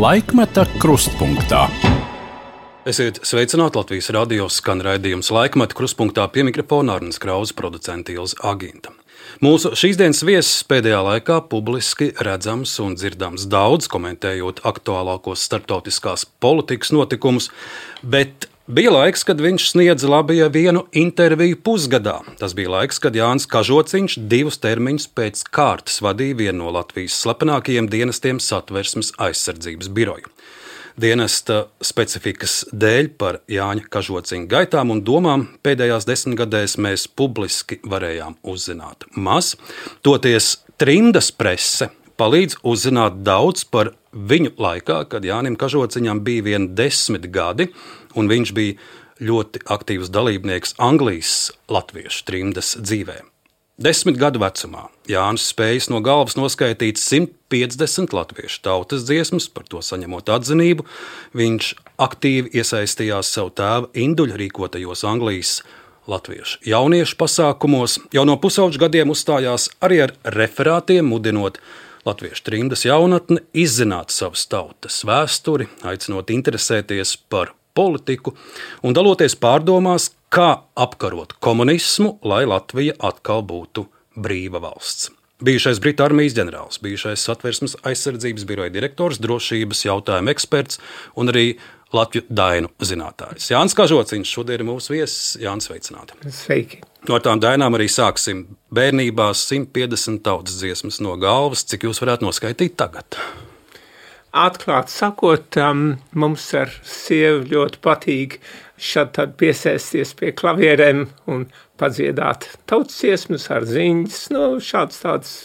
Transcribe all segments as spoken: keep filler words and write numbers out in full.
Laikmeta krustpunktā. Esiet sveicināti, Latvijas radio skan raidījums Laikmeta krustpunktā, pie mikrofona Arnis Krauze, producente Ilze Aginta. Mūsu šīsdienas viesis pēdējā laikā publiski redzams un dzirdams daudz, komentējot aktuālākos starptautiskās politikas notikumus, bet bija laiks, kad viņš sniedza Latvijai vienu interviju pusgadā. Tas bija laiks, kad Jānis Kažociņš divus termiņus pēc kārtas vadīja vienu no Latvijas slepenākajiem dienestiem Satversmes aizsardzības biroju. Dienesta specifikas dēļ par Jāņa Kažociņa gaitām un domām pēdējās desmitgadēs mēs publiski varējām uzzināt maz. Toties trimdas prese palīdz uzzināt daudz par viņu laikā, kad Jānim Kažociņam bija vien desmit gadi, un viņš bija ļoti aktīvs dalībnieks Anglijas latviešu trimdas dzīvē. Desmit gadu vecumā Jānis spējas no galvas noskaitīt simt piecdesmit latviešu tautas dziesmas, par to saņemot atzinību. Viņš aktīvi iesaistījās savu tēva Induļa rīkotajos Anglijas latviešu jauniešu pasākumos. Jau no pusauģu gadiem uzstājās arī ar referātiem, mudinot latviešu trimdas jaunatni izzināt savas tautas vēsturi, aicinot interesēties par politiku un daloties pārdomās, kā apkarot komunismu, lai Latvija atkal būtu brīva valsts. Bijušais Britu armijas ģenerālis, bijušais Satversmes aizsardzības biroja direktors, drošības jautājumu eksperts un arī Latviju dainu zinātājs. Jānis Kažociņš šodien ir mūsu viesis. Jānis, sveicināti. Sveiki. No tām dainām arī sāksim. Bērnībā simt piecdesmit tautas dziesmas no galvas. Cik jūs varētu noskaitīt tagad? Atklāt sakot, um, mums ar sievu ļoti patīk šad tad piesēsties pie klavierēm un padziedāt tautas dziesmas ar ziņas, nu, šāds tāds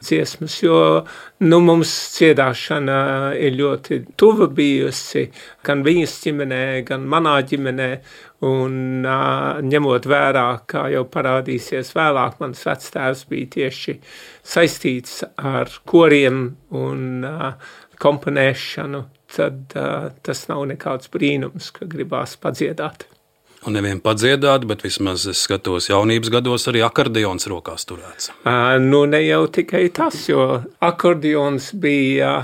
dziesmas, jo, nu, mums dziedāšana ir ļoti tuva bijusi, gan viņas ģimenē, gan manā ģimenē, un uh, ņemot vērā, kā jau parādīsies vēlāk, mans vectēvs bija tieši saistīts ar koriem un uh, komponēšanu, tad uh, tas nav nekāds brīnums, ka gribās padziedāt. Un nevien padziedāt, bet vismaz es skatos jaunības gados arī akordeons rokās turēts. Uh, nu, ne jau tikai tas, jo akordeons bija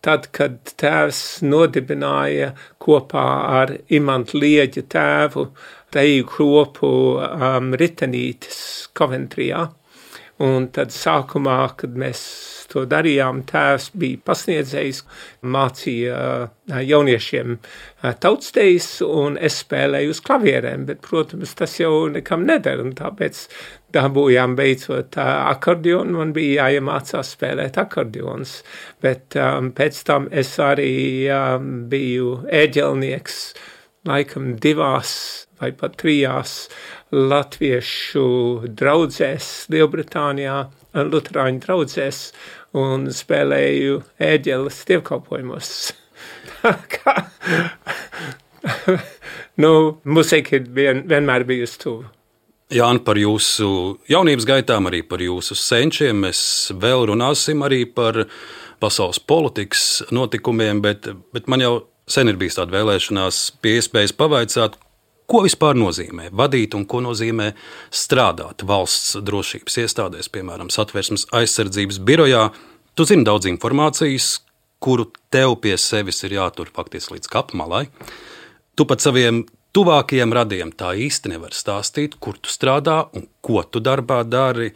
tad, kad tēvs nodibināja kopā ar Imantu Lieģa tēvu deju kropu um, Ritenītes Coventrijā. Un tad sākumā, kad mēs to darījām, tēvs bija pasniedzējs, mācīja jauniešiem tautsdejas, un es spēlēju uz klavierēm, bet, protams, tas jau nekam neder, un tāpēc dabūjām beidzot akordeonu, man bija jāiemācās spēlēt akordeons, bet um, pēc tam es arī um, biju ēģelnieks, laikam divās vai pat trijās latviešu draudzēs Lielbritānijā, luterāņu draudzēs, un spēlēju ēģeles dievkalpojumos. Kā? Nu, musika ir vien, vienmēr bijusi tuvu. Jāni, par jūsu jaunības gaitām, arī par jūsu senčiem mēs vēl runāsim, arī par pasaules politikas notikumiem, bet, bet man jau sen ir bijis tāda vēlēšanās pie iespējas pavaicāt, ko vispār nozīmē vadīt un ko nozīmē strādāt valsts drošības iestādēs, piemēram, Satversmes aizsardzības birojā. Tu zini daudz informācijas, kuru tev pie sevis ir jātur faktiski līdz kapmalai. Tu pat saviem tuvākajiem radiem tā īsti nevari stāstīt, kur tu strādā un ko tu darbā dari.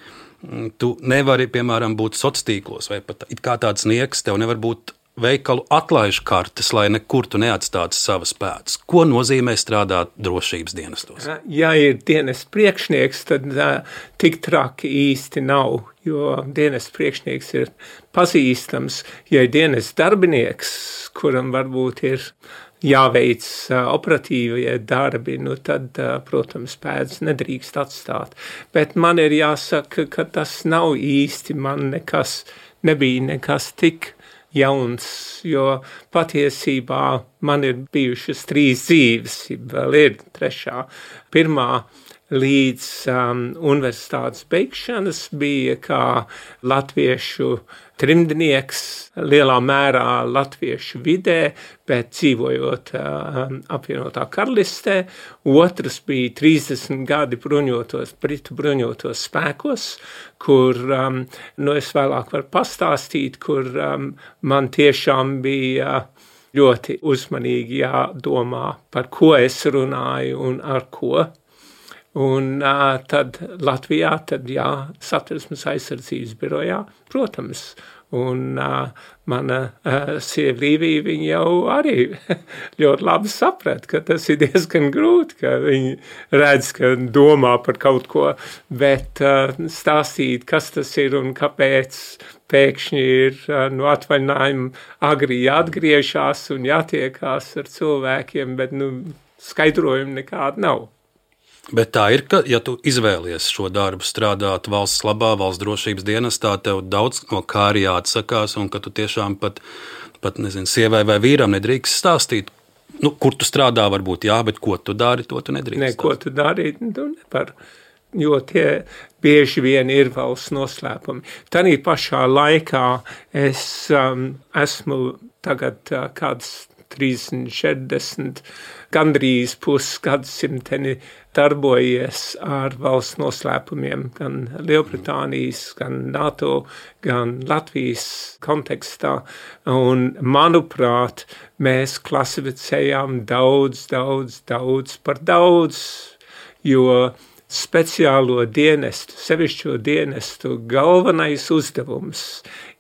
Tu nevari, piemēram, būt sociālos tīklos vai pat it kā tāds nieks, tev nevar būt veikalu atlaižu kartes, lai nekur tu neatstātu savas pēdas. Ko nozīmē strādāt drošības dienestos? Ja ir dienas priekšnieks, tad uh, tik traki īsti nav, jo dienas priekšnieks ir pazīstams. Ja ir dienas darbinieks, kuram varbūt ir jāveic uh, operatīvie darbi, nu tad, uh, protams, pēdas nedrīkst atstāt. Bet man ir jāsaka, ka tas nav īsti, man nekas nebija nekas tik jauns, jo patiesībā man ir bijušas trīs dzīves, vēl ir trešā. Pirmā līdz um, universitātes beigšanas bija kā latviešu trimdnieks, lielā mērā latviešu vidē, bet dzīvojot um, apvienotā karalistē. Otrs bija trīsdesmit gadi bruņotos, Britu bruņotos spēkos, kur, um, nu es vēlāk varu pastāstīt, kur um, man tiešām bija ļoti uzmanīgi jādomā, par ko es runāju un ar ko. Un uh, tad Latvijā, tad jā, Satversmes aizsardzības birojā, protams. Un uh, mana uh, sieva Līvija, viņa jau arī ļoti labi saprat, ka tas ir diezgan grūti, ka viņi redz, ka domā par kaut ko, bet uh, stāstīt, kas tas ir un kāpēc pēkšņi ir uh, no atvaļinājuma agri jāatgriežās un jātiekās ar cilvēkiem, bet nu, skaidrojumu nekāda nav. Bet tā ir, ka, ja tu izvēlies šo darbu strādāt valsts labā, valsts drošības dienestā, tev daudz no kā arī jāatsakās, un ka tu tiešām pat, pat nezinu, sievai vai vīram nedrīkst stāstīt, nu, kur tu strādā, varbūt jā, bet ko tu dari, to tu nedrīkst. Ne, ko tu dari, tu nevar, jo tie bieži vien ir valsts noslēpumi. Tanī pašā laikā es um, esmu tagad uh, kāds trīsdesmit, četrdesmit, gandrīz pusgadsimteni darbojies ar valsts noslēpumiem, gan Lielbritānijas, gan NATO, gan Latvijas kontekstā. Un, manuprāt, mēs klasificējām daudz, daudz, daudz par daudz, jo speciālo dienestu, sevišķo dienestu galvenais uzdevums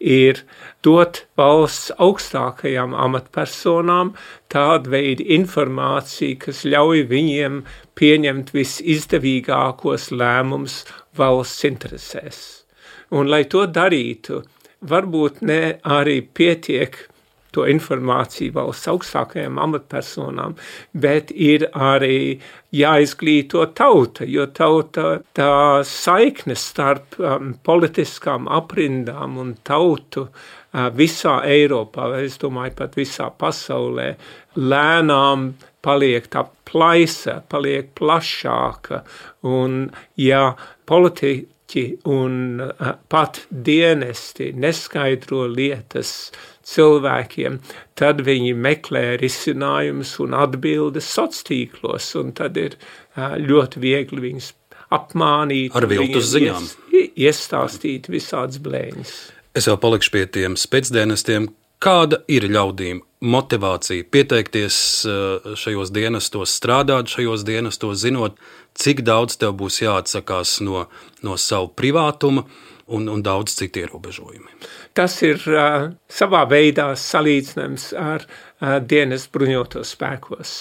ir dot valsts augstākajām amatpersonām tādu veidu informāciju, kas ļauj viņiem pieņemt visizdevīgākos lēmumus valsts interesēs. Un, lai to darītu, varbūt ne arī pietiek to informāciju valsts augstākajām amatpersonām, bet ir arī jāizglīto tauta, jo tauta tā saiknes starp um, politiskām aprindām un tautu uh, visā Eiropā, es domāju pat visā pasaulē, lēnām paliek tā plaisa, paliek plašāka, un ja politiķi un uh, pat dienesti neskaidro lietas cilvēkiem, tad viņi meklē risinājumus un atbildes sociālos, un tad ir uh, ļoti viegli viņus apmānīt. Ar viltus ziņām. Ies, iestāstīt visādas blēņas. Es jau palikšu pie tiem spēcdienestiem. Kāda ir ļaudīm motivācija pieteikties šajos dienestos, strādāt šajos dienestos, zinot, cik daudz tev būs jāatsakās no, no savu privātuma un, un daudz citu ierobežojumi? Tas ir uh, savā veidā salīdzinājums ar uh, dienas bruņotos spēkos.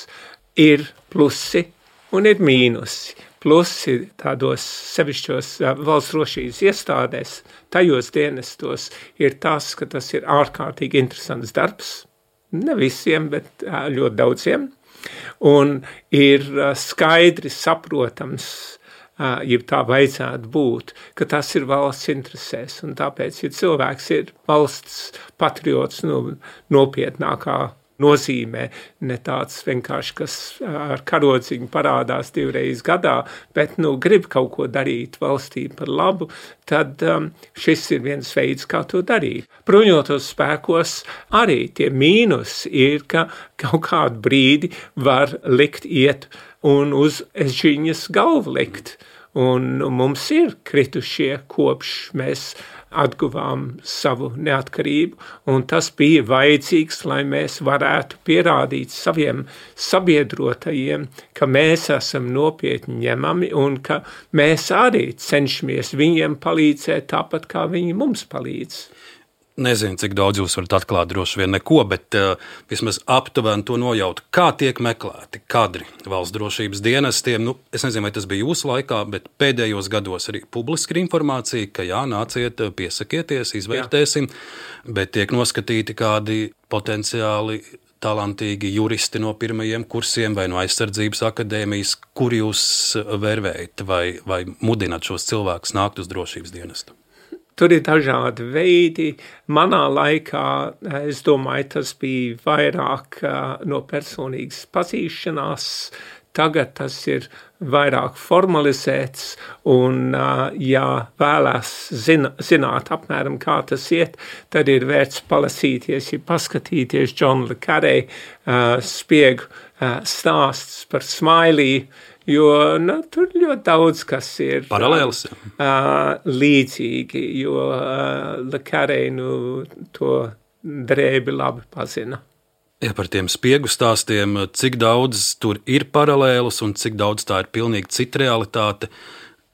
Ir plusi un ir mīnusi. Plusi tādos sevišķos uh, valsts drošības iestādēs, tajos dienestos ir tas, ka tas ir ārkārtīgi interesants darbs. Ne visiem, bet uh, ļoti daudziem. Un ir uh, skaidri saprotams, uh, ja tā vajadzētu būt, ka tas ir valsts interesēs. Un tāpēc, ja cilvēks ir valsts patriots, nu, nopietnākā nozīmē, ne tāds vienkārši, kas ar karodziņu parādās divreiz gadā, bet, nu, grib kaut ko darīt valstī par labu, tad um, šis ir viens veids, kā to darīt. Bruņotos spēkos arī tie mīnus ir, ka kaut kādu brīdi var likt iet un uz ežiņas galvu likt. Un mums ir kritušie kopš mēs atguvām savu neatkarību, un tas bija vajadzīgs, lai mēs varētu pierādīt saviem sabiedrotajiem, ka mēs esam nopietni ņemami un ka mēs arī cenšamies viņiem palīdzēt tāpat, kā viņi mums palīdz. Nezinu, cik daudz jūs varat atklāt, droši vien neko, bet uh, vismaz aptuveni to nojaut, kā tiek meklēti kadri valsts drošības dienestiem. Nu, es nezinu, vai tas bija jūsu laikā, bet pēdējos gados arī publiski ir informācija, ka jā, nāciet, piesakieties, izvērtēsim, jā. Bet tiek noskatīti kādi potenciāli talantīgi juristi no pirmajiem kursiem vai no aizsardzības akadēmijas, kur jūs vērvējat vai, vai mudināt šos cilvēkus nākt uz drošības dienestu? Tur ir dažādi veidi. Manā laikā, es domāju, tas bija vairāk no personīgas pazīšanās. Tagad tas ir vairāk formalizēts un, ja vēlās zina, zināt apmēram, kā tas iet, tad ir vērts palasīties, ja paskatīties John le Carré uh, spiegu uh, stāsts par Smiley, jo nu, tur ļoti daudz kas ir paralēls, uh, līdzīgi, jo uh, le Carré nu, to drēbi labi pazina. Ja par tiem spiegu stāstiem, cik daudz tur ir paralēlus un cik daudz tā ir pilnīgi cita realitāte,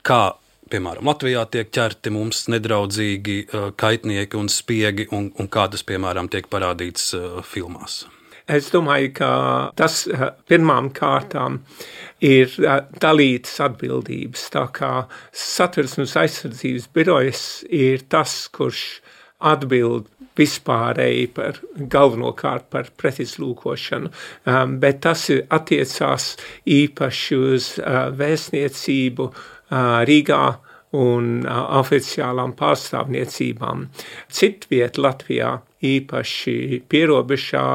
kā, piemēram, Latvijā tiek ķerti mums nedraudzīgi kaitnieki un spiegi, un, un kā tas, piemēram, tiek parādīts filmās. Es domāju, ka tas pirmām kārtām ir dalītas atbildības, tā kā Satversmes aizsardzības birojas ir tas, kurš atbild vispārēji par galvenokārt par pretizlūkošanu, um, bet tas attiecās īpaši uz uh, vēstniecību uh, Rīgā un uh, oficiālām pārstāvniecībām. Citviet Latvijā, īpaši pierobežā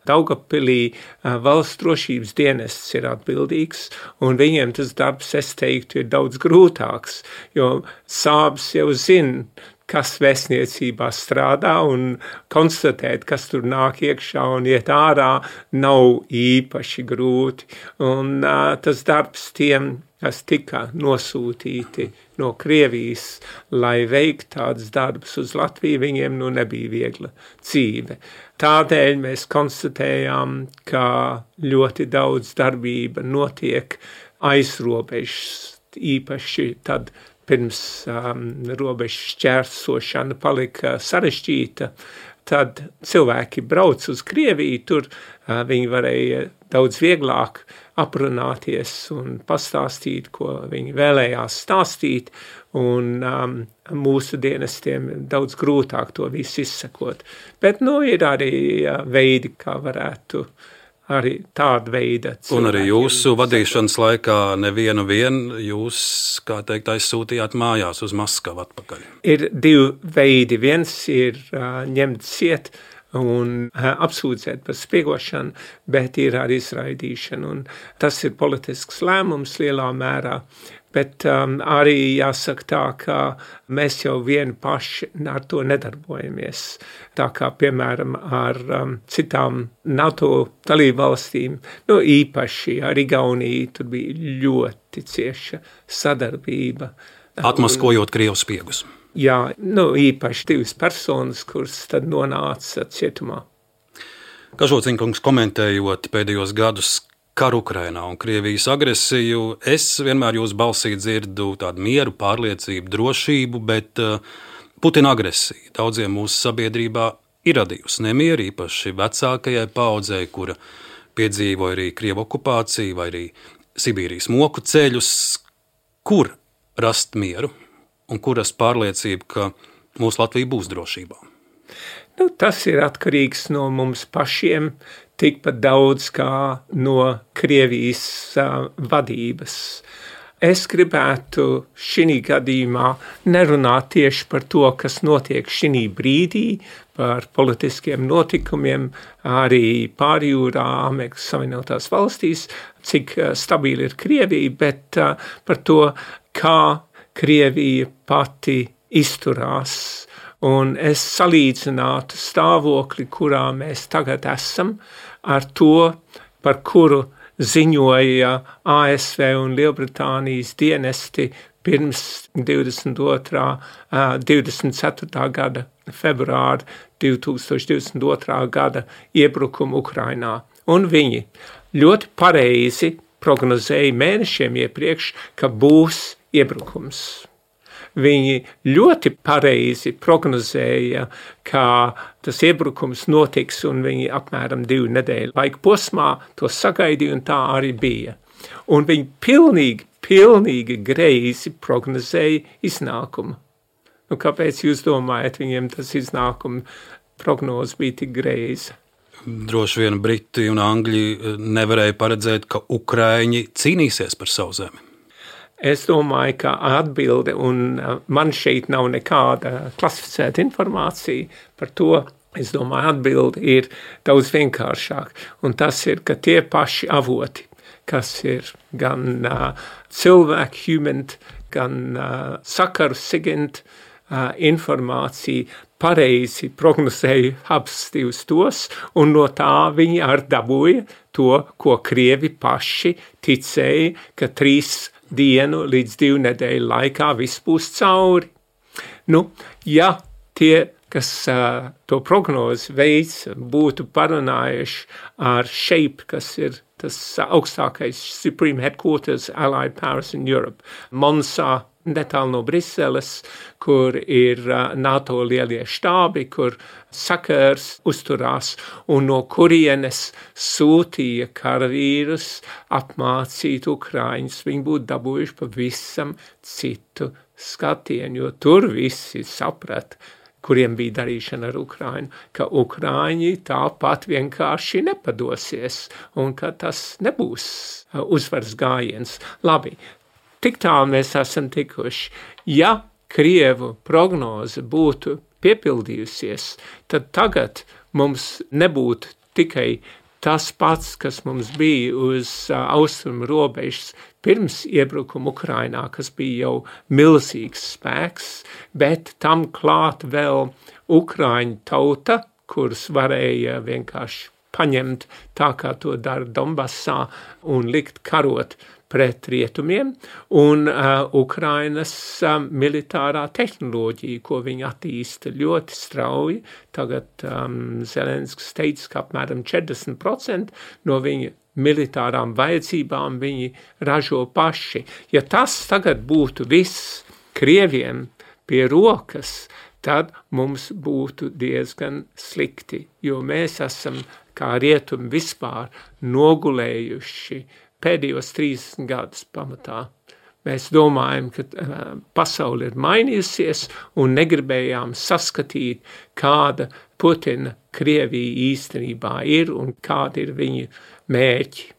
Daugavpilī, uh, valsts drošības dienests ir atbildīgs, un viņiem tas darbs, es teiktu, ir daudz grūtāks, jo sābs jau zina, kas vēstniecībā strādā, un konstatēt, kas tur nāk iekšā un iet ārā, nav īpaši grūti. Un uh, tas darbs tiem, kas tika nosūtīti no Krievijas, lai veikt tādus darbus uz Latviju, viņiem nu nebija viegla dzīve. Tādēļ mēs konstatējām, ka ļoti daudz darbība notiek aiz robežas, īpaši tad, pirms um, robežas šķērsošana palika sarežģīta, tad cilvēki brauc uz Krieviju, tur uh, viņi varēja daudz vieglāk aprunāties un pastāstīt, ko viņi vēlējās stāstīt, un um, mūsu dienestiem daudz grūtāk to visu izsekot. Bet, nu, ir arī uh, veidi, kā varētu arī tāda veida cilvēkiem. Un arī jūsu vadīšanas laikā nevienu vien jūs, kā teikt, aizsūtījāt mājās uz Maskavu atpakaļ. Ir divi veidi. Viens ir uh, ņemt ciet un uh, apsūdzēt par spiegošanu, bet ir arī izraidīšana. Un tas ir politisks lēmums lielā mērā. Bet um, arī jāsaka tā, ka mēs jau vieni paši ar to nedarbojamies. Tā kā, piemēram, ar um, citām NATO dalībvalstīm, nu īpaši ar Igauniju, tur bija ļoti cieša sadarbība. Atmaskojot Krievu spiegus. Jā, nu īpaši divas personas, kuras tad nonāca cietumā. Kažociņkungs, komentējot pēdējos gadus karu Ukrainā un Krievijas agresiju, es vienmēr jūsu balsī dzirdu tādu mieru, pārliecību, drošību, bet uh, Putina agresija daudziem mūsu sabiedrībā ir radījusi nemieru, īpaši vecākajai paaudzei, kura piedzīvoja arī Krievu okupāciju vai arī Sibīrijas moku ceļus. Kur rast mieru un kur rast pārliecību, ka mūsu Latvija būs drošībā? Nu, tas ir atkarīgs no mums pašiem, tikpat daudz kā no Krievijas uh, vadības. Es gribētu šī gadījumā nerunāt tieši par to, kas notiek šī brīdī, par politiskiem notikumiem, arī pārjūrā Amerikas Savienotās valstīs, cik uh, stabili ir Krievija, bet uh, par to, kā Krievija pati izturās. Un es salīdzinātu stāvokli, kurā mēs tagad esam, ar to, par kuru ziņoja A S V un Lielbritānijas dienesti pirms divdesmit otrā, divdesmit ceturtā gada februāra divi tūkstoši divdesmit otrā gada iebrukumu Ukrainā. Un viņi ļoti pareizi prognozēja mēnešiem iepriekš, ka būs iebrukums. Viņi ļoti pareizi prognozēja, ka tas iebrukums notiks, un viņi apmēram divu nedēļu laika posmā to sagaidīja, un tā arī bija. Un viņi pilnīgi, pilnīgi greizi prognozēja iznākumu. Nu, kāpēc jūs domājat, viņiem tas iznākuma prognoze bija tik greiza? Droši vien Briti un Angļi nevarēja paredzēt, ka Ukraiņi cīnīsies par savu zemi. Es domāju, ka atbilde, un man šeit nav nekāda klasificēta informācija par to, es domāju, atbilde ir daudz vienkāršāk. Un tas ir, ka tie paši avoti, kas ir gan uh, cilvēku humant, gan uh, sakaru sigint uh, informācija, pareizi prognozēja abas divas tos, un no tā viņi ar dabūja to, ko Krievi paši ticēja, ka trīs dienu līdz divu nedēļu laikā viss būs cauri. Nu, ja tie kas uh, to prognozi veids, būtu parunājuši ar SHAPE, kas ir tas augstākais Supreme Headquarters Allied Powers in Europe, Monsā, netālu no Briseles, kur ir uh, NATO lielie štābi, kur sakars uzturās, un no kurienes sūtīja karavīrus apmācīt Ukraiņus. Viņi būtu dabūjuši pavisam citu skatienu, jo tur visi saprat, kuriem bija darīšana ar Ukrainu, ka Ukraiņi tāpat vienkārši nepadosies un ka tas nebūs uzvaras gājiens. Labi, tik tālu mēs esam tikuši. Ja Krievu prognoze būtu piepildījusies, tad tagad mums nebūtu tikai tas pats, kas mums bija uz uh, austrumu robežas pirms iebrukuma Ukrainā, kas bija jau milzīgs spēks, bet tam klāt vēl Ukraiņu tauta, kuras varēja vienkārši paņemt tā, kā to dara Donbassā un likt karot pret rietumiem, un uh, Ukrainas uh, militārā tehnoloģija, ko viņi attīsta ļoti strauji. Tagad um, Zelenskis teica, ka apmēram četrdesmit procenti no viņa militārām vajadzībām viņi ražo paši. Ja tas tagad būtu viss Krieviem pie rokas, tad mums būtu diezgan slikti, jo mēs esam kā rietumi vispār nogulējuši pēdējos trīsdesmit gadus pamatā. Mēs domājam, ka uh, pasaule ir mainījusies un negribējām saskatīt, kāda Putina Krievija īstenībā ir un kādi ir viņa mērķi.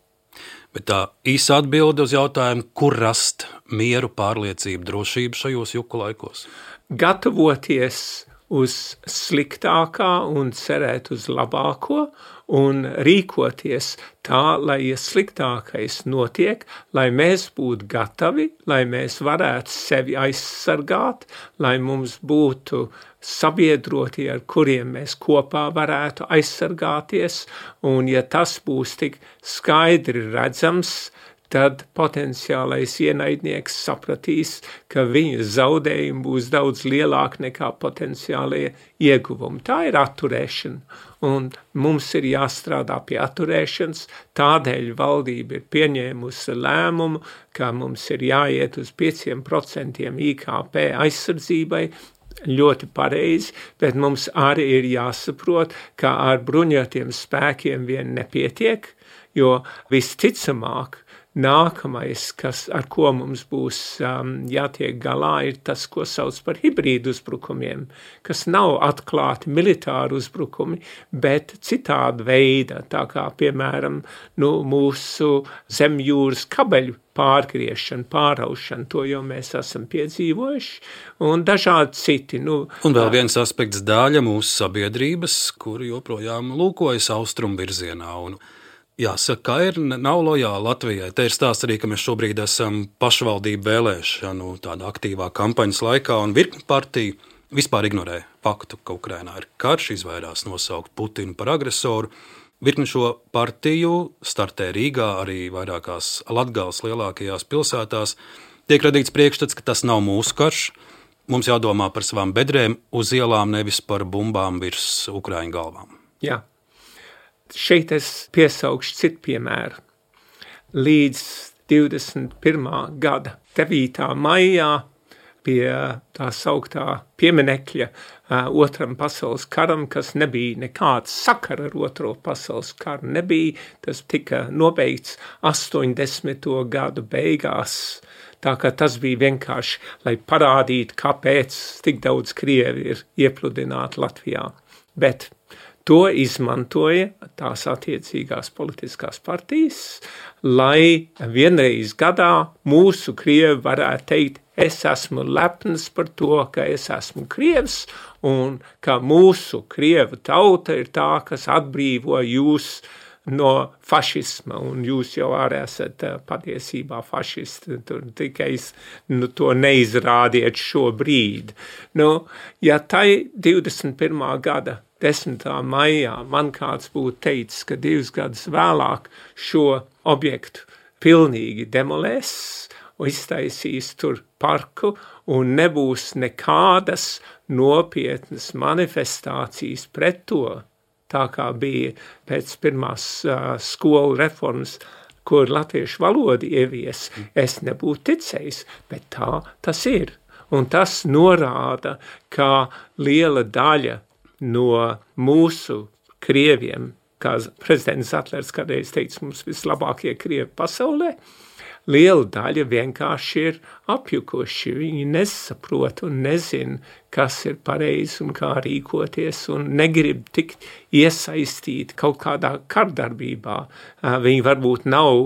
Bet tā īsa atbilde uz jautājumu, kur rast mieru, pārliecību, drošību šajos juku laikos? Gatavoties uz sliktākā un cerēt uz labāko un rīkoties tā, lai ja sliktākais notiek, lai mēs būtu gatavi, lai mēs varētu sevi aizsargāt, lai mums būtu sabiedroti, ar kuriem mēs kopā varētu aizsargāties, un ja tas būs tik skaidri redzams, tad potenciālais ienaidnieks sapratīs, ka viņa zaudējumi būs daudz lielāki nekā potenciālie ieguvumi. Tā ir atturēšana, un mums ir jāstrādā pie atturēšanas, tādēļ valdība ir pieņēmusi lēmumu, ka mums ir jāiet uz pieciem procentiem I K P aizsardzībai, ļoti pareizi, bet mums arī ir jāsaprot, ka ar bruņotiem spēkiem vien nepietiek, jo visticamāk, nākamais, kas, ar ko mums būs um, jātiek galā, ir tas, ko sauc par hibrīdu uzbrukumiem, kas nav atklāti militāri uzbrukumi, bet citāda veida, tā kā, piemēram, nu, mūsu zemjūras kabeļu pārgriešana, pāraušana, to jau mēs esam piedzīvojuši, un dažādi citi. Nu, un vēl viens aspekts daļa mūsu sabiedrības, kuri joprojām lūkojas austrumu virzienā, un jāsaka, ka ir nav lojāli Latvijai. Te ir stāsts arī, ka mēs šobrīd esam pašvaldību vēlēšanu tādā aktīvā kampaņas laikā, un virkni partija vispār ignorē faktu, ka Ukrainā ir karš, izvairās nosaukt Putinu par agresoru. Virkni šo partiju startē Rīgā, arī vairākās Latgales lielākajās pilsētās. Tiek radīts priekšstats, ka tas nav mūsu karš. Mums jādomā par savām bedrēm uz ielām, nevis par bumbām virs Ukraiņu galvām. Jā. Šeit es piesaukšu citu piemēru. Līdz divdesmit pirmā gada devītā maijā pie tā sauktā pieminekļa uh, otram pasaules karam, kas nebija nekāds sakara ar otro pasaules karu, nebija, tas tika nobeigts astoņdesmito gadu beigās, tā kā tas bija vienkārši, lai parādītu, kāpēc tik daudz krievi ir iepludināti Latvijā. Bet to izmantoja tās attiecīgās politiskās partijas, lai vienreiz gadā mūsu krievi varētu teikt, es esmu lepns par to, ka es esmu krievs, un ka mūsu krievu tauta ir tā, kas atbrīvo jūs no fašisma, un jūs jau arī esat patiesībā fašisti, tur tikai nu, to neizrādiet šobrīd. Nu, ja tai divdesmit pirmā gada desmitā maijā man kāds būtu teicis, ka divus gadus vēlāk šo objektu pilnīgi demolēs un iztaisīs tur parku, un nebūs nekādas nopietnas manifestācijas pret to, tā kā bija pēc pirmās uh, skolu reformas, kur latviešu valodu ievies, es nebūtu ticējis, bet tā tas ir. Un tas norāda, ka liela daļa no mūsu krieviem, kā prezidents Zatlers kādreiz teica, mums vislabākie krievi pasaulē, liela daļa vienkārši ir apjukuši. Viņi nesaprot un nezin, kas ir pareizi un kā rīkoties, un negrib tikt iesaistīt kaut kādā kardarbībā. Viņi varbūt nav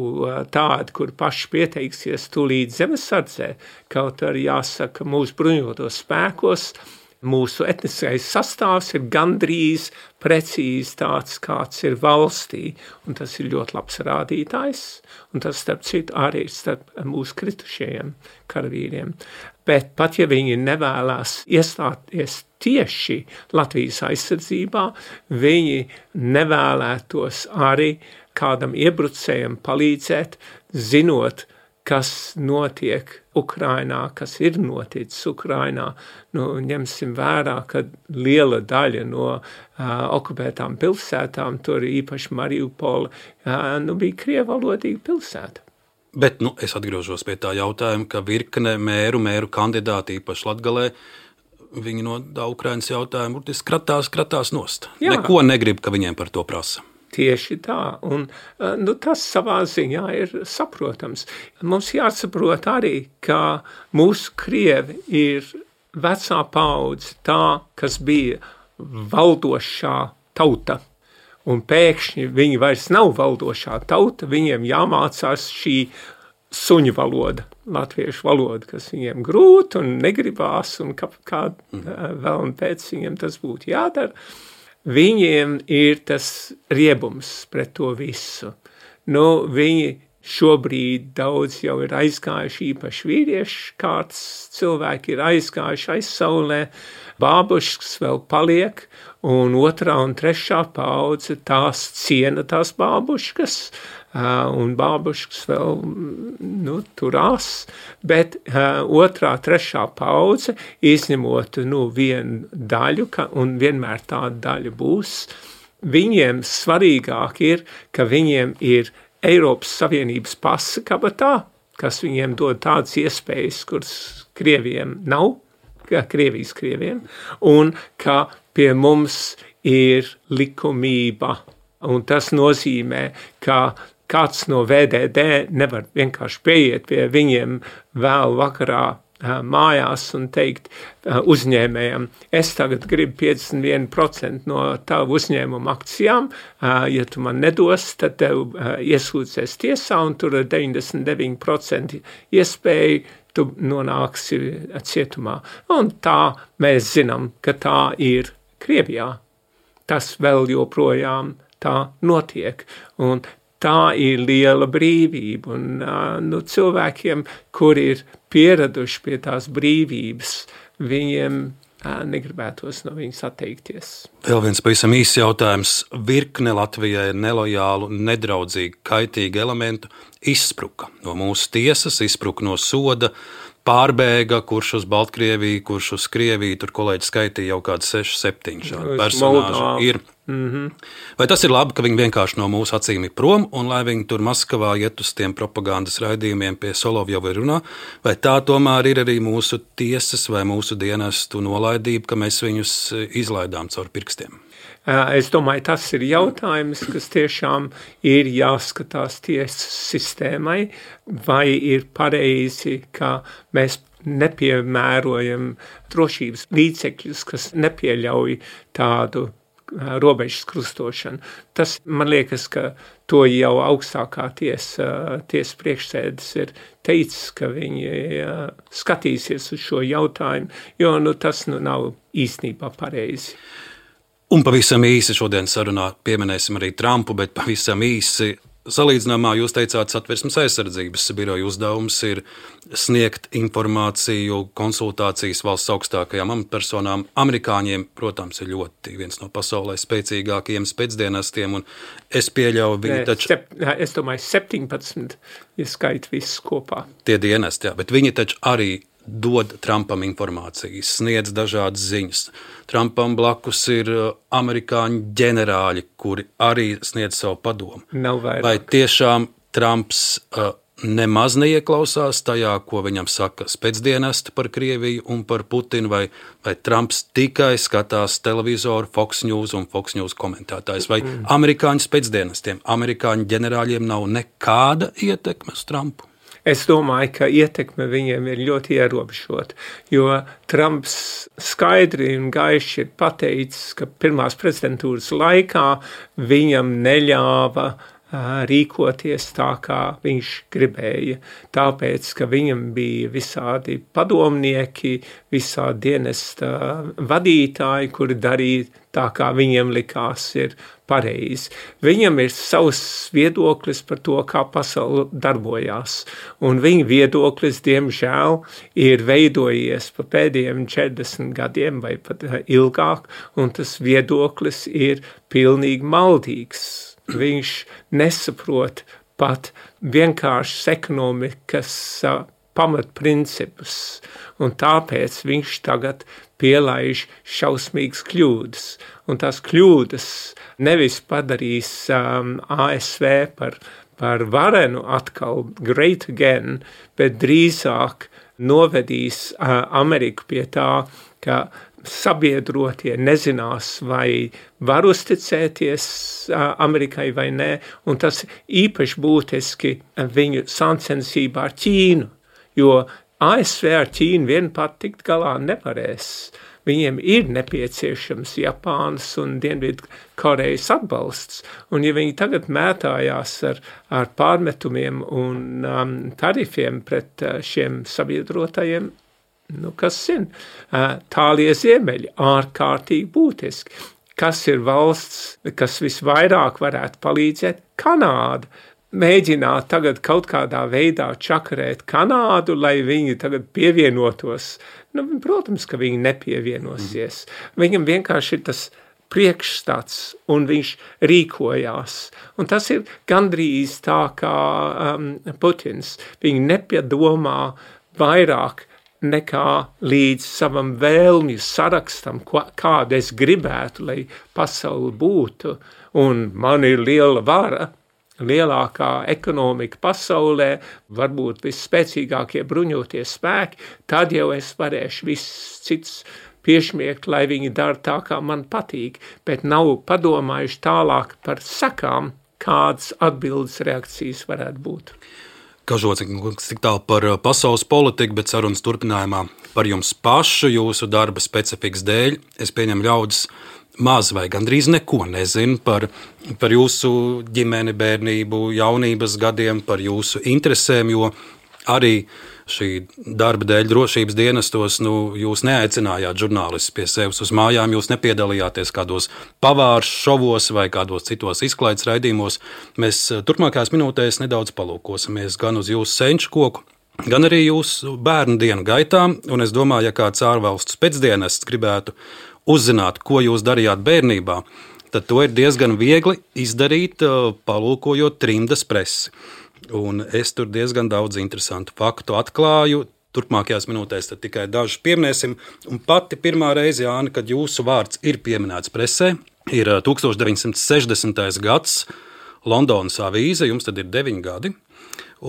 tādi, kur paši pieteiksies tūlīt zemesardzē, kaut arī jāsaka mūsu bruņotos spēkos, mūsu etniskais sastāvs ir gandrīz precīzi tāds, kāds ir valstī, un tas ir ļoti labs rādītājs, un tas, starp citu, arī ir starp mūsu kritušajiem karavīriem. Bet pat ja viņi nevēlās iestāties tieši Latvijas aizsardzībā, viņi nevēlētos arī kādam iebrucējam palīdzēt, zinot, kas notiek Ukrainā, kas ir noticis Ukrainā. Nu, ņemsim vērā, ka liela daļa no uh, okupētām pilsētām, tur īpaši Mariupola, uh, nu, bija krievalodīga pilsēta. Bet nu, es atgriežos pie tā jautājuma, ka virkne mēru, mēru kandidāti īpaši Latgalē, viņi no Ukrainas jautājumu burtiski kratās, kratās nost. Jā. Neko negrib, ka viņiem par to prasa. Tieši tā, un nu, tas savā ziņā ir saprotams. Mums jāsaprot arī, ka mūsu krievi ir vecā paudze tā, kas bija valdošā tauta, un pēkšņi viņi vairs nav valdošā tauta, viņiem jāmācās šī suņu valoda, latviešu valoda, kas viņiem grūti un negribās, un kā, kā vēl un pēc viņiem tas būtu jādara. Viņiem ir tas riebums pret to visu. Nu, viņi šobrīd daudz jau ir aizgājuši, īpaši vīrieši, kāds cilvēki ir aizgājuši aizsaulē, bābuškas vēl paliek, un otrā un trešā paudze tās ciena tās bābuškas, un bābuškas vēl nu, turās, bet uh, otrā, trešā paudze, izņemot nu, vienu daļu, ka, un vienmēr tāda daļa būs, viņiem svarīgāk ir, ka viņiem ir Eiropas Savienības pasa kabatā, kas viņiem dod tādas iespējas, kuras Krieviem nav, Krievijas Krieviem, un ka pie mums ir likumība, un tas nozīmē, ka kāds no V D D nevar vienkārši pieiet pie viņiem vēl vakarā mājās un teikt uzņēmējam, es tagad gribu piecdesmit viens procents no tavu uzņēmuma akcijām, ja tu man nedos, tad tev iesūdzēs tiesā un tur ir deviņdesmit deviņi procenti iespēja, tu nonāksi cietumā. Un tā mēs zinām, ka tā ir Krievijā. Tas vēl joprojām tā notiek. Un tā ir liela brīvība, un nu, cilvēkiem, kur ir pieraduši pie tās brīvības, viņiem negribētos no viņas atteikties. Vēl viens pavisam īsts jautājums. Virkne Latvijai nelojālu, nedraudzīgu, kaitīgu elementu izspruka no mūsu tiesas, izspruka no soda, pārbēga, kurš uz Baltkrieviju, kurš uz Krieviju, tur kolēģi skaitīja jau kādu seši, septiņi šādi personāži ir. Mm-hmm. Vai tas ir labi, ka viņi vienkārši no mūsu acīm ir prom, un lai viņi tur Maskavā iet uz tiem propagandas raidījumiem pie Solovjova runā, vai tā tomēr ir arī mūsu tiesas vai mūsu dienestu nolaidība, ka mēs viņus izlaidām caur pirkstiem? Es domāju, tas ir jautājums, kas tiešām ir jāskatās tiesas sistēmai, vai ir pareizi, ka mēs nepiemērojam drošības līdzekļus, kas nepieļauj tādu robežas krustošanu. Tas, man liekas, ka to jau augstākā tiesa, tiesa priekšsēdis ir teicis, ka viņi skatīsies uz šo jautājumu, jo nu, tas nu, nav īstenībā pareizi. Un pavisam īsi šodien sarunā pieminēsim arī Trumpu, bet pavisam īsi salīdzinājumā jūs teicāt, Satversmes aizsardzības biroja uzdevums ir sniegt informāciju, konsultācijas valsts augstākajām amatpersonām. Amerikāņiem, protams, ir ļoti viens no pasaulē spēcīgākajiem spēcdienestiem, un es pieļauju, viņi taču... Sep, es domāju, septiņpadsmit, ja skait visus kopā. Tie dienesti, jā, bet viņi taču arī dod Trumpam informācijas, sniedz dažādas ziņas. Trumpam blakus ir amerikāņu ģenerāļi, kuri arī sniedz savu padomu. Nav vairāk. Vai tiešām Trumps uh, nemaz neieklausās tajā, ko viņam saka spēcdienesti par Krieviju un par Putinu, vai, vai Trumps tikai skatās televizoru, Fox News un Fox News komentētājs, vai mm. amerikāņu spēcdienestiem, amerikāņu ģenerāļiem nav nekāda ietekme uz Trumpu? Es domāju, ka ietekme viņiem ir ļoti ierobežota, jo Trumps skaidri un gaiši ir pateicis, ka pirmās prezidentūras laikā viņam neļāva rīkoties tā, kā viņš gribēja, tāpēc, ka viņam bija visādi padomnieki, visādi dienesta vadītāji, kuri darīja tā, kā viņiem likās ir pareizi. Viņam ir savs viedoklis par to, kā pasaule darbojās, un viņa viedoklis, diemžēl, ir veidojies pa pēdējiem četrdesmit gadiem vai pat ilgāk, un tas viedoklis ir pilnīgi maldīgs. Viņš nesaprot pat vienkāršas ekonomikas uh, pamatprincipus, un tāpēc viņš tagad pielaiž šausmīgas kļūdas. Un tās kļūdas nevis padarīs um, A S V par, par varenu atkal, great again, bet drīzāk novedīs uh, Ameriku pie tā, ka sabiedrotie nezinās, vai var uzticēties uh, Amerikai vai nē, un tas īpaši būtiski viņu sāncensībā ar Ķīnu, jo A S V ar Ķīnu vien pat tikt galā nevarēs. Viņiem ir nepieciešams Japānas un Dienvidu Korejas atbalsts, un ja viņi tagad mētājās ar, ar pārmetumiem un um, tarifiem pret uh, šiem sabiedrotajiem, nu, kas zina, tālie ziemeļi, ārkārtīgi būtiski. Kas ir valsts, kas visvairāk varētu palīdzēt? Kanāda. Mēģināt tagad kaut kādā veidā čakarēt Kanādu, lai viņi tagad pievienotos. Nu, protams, ka viņi nepievienosies. Viņam vienkārši ir tas priekšstats, un viņš rīkojās. Un tas ir gandrīz tā kā um, Putins. Viņi nepiedomā vairāk nekā līdz savam vēlmju sarakstam, kādu es gribētu, lai pasauli būtu. Un man ir liela vara, lielākā ekonomika pasaulē, varbūt visspēcīgākie bruņoties spēki, tad jau es varēšu viss cits piešmiegt, lai viņi dara tā, kā man patīk, bet nav padomājuši tālāk par sakām, kādas atbildes reakcijas varētu būt. Kažociņkungs, tik tālu par pasaules politiku, bet sarunas turpinājumā par jums pašu, jūsu darba specifikas dēļ. Es pieņemu ļaudis maz vai gandrīz neko nezinu par, par jūsu ģimeni, bērnību, jaunības gadiem, par jūsu interesēm, jo arī šī darba dēļ drošības dienestos, nu, jūs neaicinājāt žurnālistus pie sevis uz mājām, jūs nepiedalījāties kādos pavārs šovos vai kādos citos izklaides raidījumos. Mēs turpmākajās minūtēs nedaudz palūkosimies gan uz jūsu senču koku, gan arī jūsu bērnu dienu gaitā, un es domāju, ja kāds ārvalstu spēcdienests gribētu uzzināt, ko jūs darījāt bērnībā, tad to ir diezgan viegli izdarīt, palūkojot trimdas presi. Un es tur diezgan daudz interesantu faktu atklāju. Turpmākajās minūtēs tad tikai dažus pieminēsim. Un pati pirmā reize, Jāni, kad jūsu vārds ir pieminēts presē, ir tukstovš deviņsimt sešdesmitais gads, Londonas avīze, jums tad ir deviņi gadi,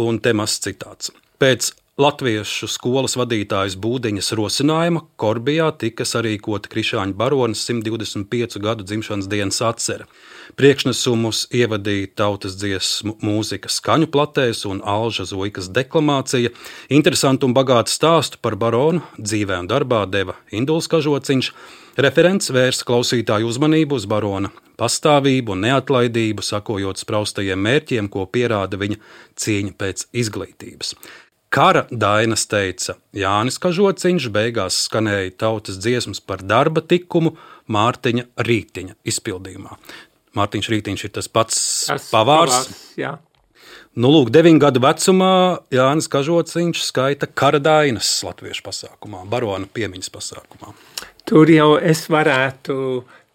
un te mazs citāts. Pēc latviešu skolas vadītājas Būdiņas rosinājuma Korbijā tika sarīkota Krišāņu baronas simt divdesmit piecu gadu dzimšanas dienas atcere. Priekšnesumus ievadīja tautas dziesmu mūzika skaņu platēs un Alža Zoikas deklamācija. Interesantu un bagātu stāstu par baronu dzīvē un darbā deva Induls Kažociņš. Referents vērsa klausītāju uzmanību uz barona pastāvību un neatlaidību, sakojot spraustajiem mērķiem, ko pierāda viņa cīņa pēc izglītības. Kara dainas teica Jānis Kažociņš, beigās skanēja tautas dziesmas par darba tikumu Mārtiņa Rītiņa izpildījumā. Mārtiņš Rītiņš ir tas pats Tas pavārs. pavārs, jā. Nu, lūk, deviņu gadu vecumā Jānis Kažociņš skaita kara dainas latviešu pasākumā, barona piemiņas pasākumā. Tur jau es varētu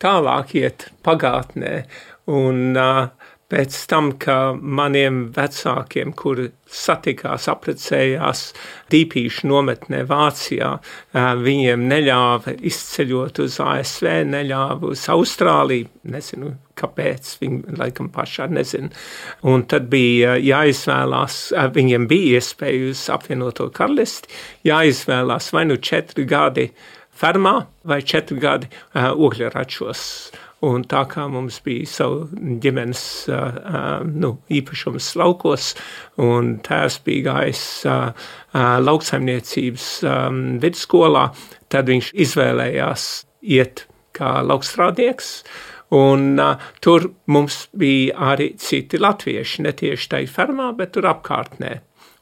tālāk iet pagātnē, un uh, pēc tam, ka maniem vecākiem, kuri satikās, apprecējās Dīpīšu nometnē Vācijā, uh, viņiem neļāva izceļot uz A S V, neļāva uz Austrāliju, nezinu, kāpēc, viņi laikam pašā nezinu. Un tad bija jāizvēlās, uh, viņiem bija iespēja uz apvienoto karalisti, jāizvēlās vai nu četri gadi fermā vai četri gadi uh, ogļračos. Un tā kā mums bija savu ģimenes uh, uh, nu, īpašums laukos, un tēvs bija gājis uh, uh, lauksaimniecības um, vidusskolā, tad viņš izvēlējās iet kā laukstrādnieks, un uh, tur mums bija arī citi latvieši, ne tieši tai fermā, bet tur apkārtnē.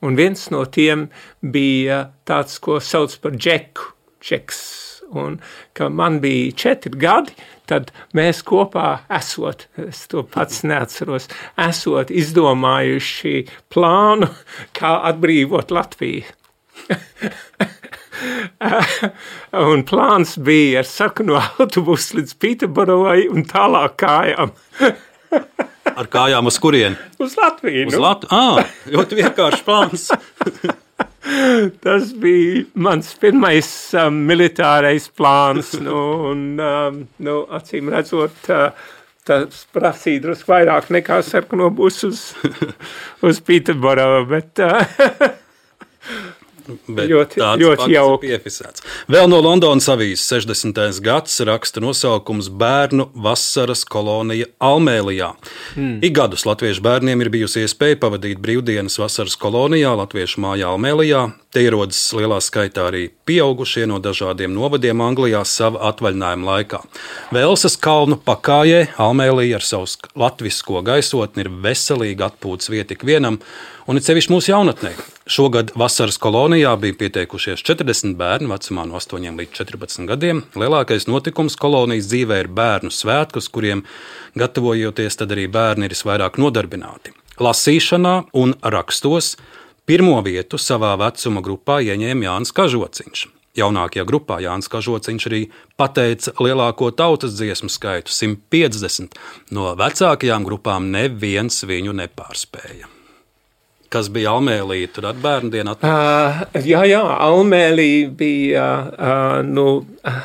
Un viens no tiem bija tāds, ko sauc par džeku, džeks. Un, ka man bija četri gadi, tad mēs kopā esot, es to pats neatceros, esot izdomājuši plānu, kā atbrīvot Latviju. Un plāns bija ar sarkano autobusu līdz Pīterborovai un tālāk kājām. Ar kājām uz kurieni? Uz Latviju. Uz Nu. Latviju? Ā, ļoti vienkārši plāns. Tas bija mans pirmais um, militārais plāns, nu, un, um, nu, acīm redzot, uh, tas prasīja drusku vairāk nekā sarkano busu uz, uz Pīterborovu, bet... Uh, Bet ļoti, tāds ļoti fakts ir jauki. piefisēts. Vēl no Londonas avīzes sešdesmitais gads raksta nosaukums Bērnu vasaras kolonija Almēlijā. Hmm. Ik gadus latviešu bērniem ir bijusi iespēja pavadīt brīvdienas vasaras kolonijā Latviešu mājā Almēlijā. Te ierodas lielā skaitā arī pieaugušie no dažādiem novadiem Anglijā sava atvaļinājuma laikā. Velsas kalnu pakājē Almēlija ar savu latvisko gaisotni ir veselīga atpūtas vieta ikvienam, un it sevišķi mūsu jaunatnē. Šogad vasaras kolonijā bija pieteikušies četrdesmit bērni vecumā no astoņiem līdz četrpadsmit gadiem. Lielākais notikums kolonijas dzīvē ir bērnu svētki, uz kuriem gatavojoties, tad arī bērni ir visvairāk nodarbināti. Lasīšanā un rakstos pirmo vietu savā vecuma grupā ieņēma Jānis Kažociņš. Jaunākajā grupā Jānis Kažociņš arī pateica lielāko tautas dziesmu skaitu – simt piecdesmit. No vecākajām grupām neviens viņu nepārspēja. Kas bija Almēlija, tur ar bērnu dienu atpakaļ? Uh, jā, jā, Almēlija bija, uh, nu, uh,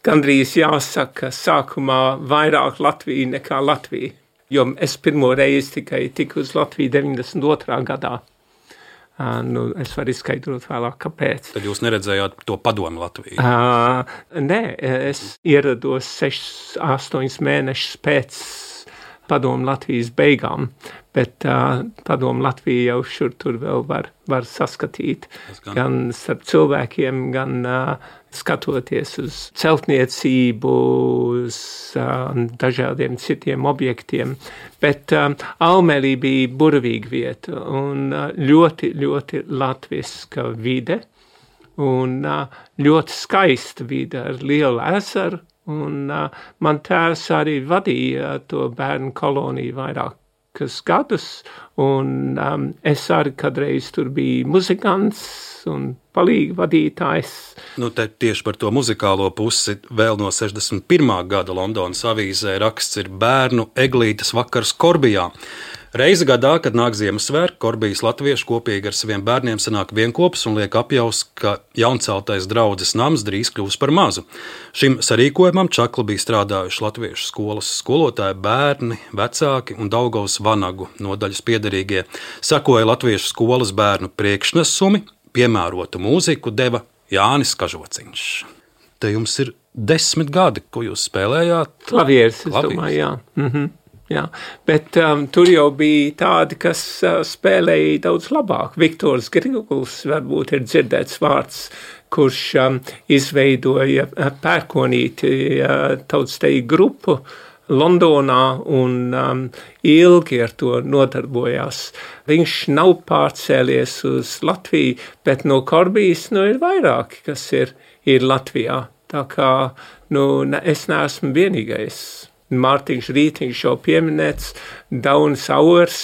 gandrīz jāsaka, sākumā vairāk Latvija nekā Latvija. Jo es pirmo reizi tikai tiku uz Latviju deviņdesmit otrā gadā. Uh, nu, es varu izskaidrot vēlāk, kāpēc. Tad jūs neredzējāt to padomu Latviju? Uh, nē, es ierados sešus, astoņus mēnešus pēc padomu Latvijas beigām, bet uh, padomu Latvija jau šur tur vēl var, var saskatīt. Gan. gan starp cilvēkiem, gan uh, skatoties uz celtniecību, uz uh, dažādiem citiem objektiem. Bet uh, Almēlija bija burvīga vieta un uh, ļoti, ļoti latviska vide un uh, ļoti skaista vide ar lielu ezeru. Un uh, man tēvs arī vadīja to bērnu koloniju vairākus gadus, un um, es arī kādreiz tur biju muzikants un palīga vadītājs. Nu, te tieši par to muzikālo pusi vēl no sešdesmit pirmā gada Londonas avīzē raksts ir Bērnu eglītes vakars Korbijā. Reizi gadā, kad nāk Ziemassvētki, Korbijas latvieši kopīgi ar saviem bērniem sanāk vienkopus un liek apjaus, ka jaunceltais draudzes nams drīz kļūs par mazu. Šim sarīkojumam čakli bija strādājuši latviešu skolas skolotāji, bērni, vecāki un Daugavas vanagu nodaļas piederīgie. Sekoja latviešu skolas bērnu priekšnesumi, piemērotu mūziku deva Jānis Kažociņš. Te jums ir desmit gadi, ko jūs spēlējāt? Klavieris, es domāju, jā. Mhm. Jā, bet um, tur jau bija tādi, kas uh, spēlēja daudz labāk. Viktors Griguls varbūt ir dzirdēts vārds, kurš um, izveidoja uh, pērkonīti uh, tautsteju grupu Londonā un um, ilgi ar to nodarbojās. Viņš nav pārcēlies uz Latviju, bet no Korbijas nu, ir vairāki, kas ir, ir Latvijā. Tā kā nu, ne, es neesmu vienīgais. Mārtiņš Rītiņš jau pieminēts, Daunis Auers.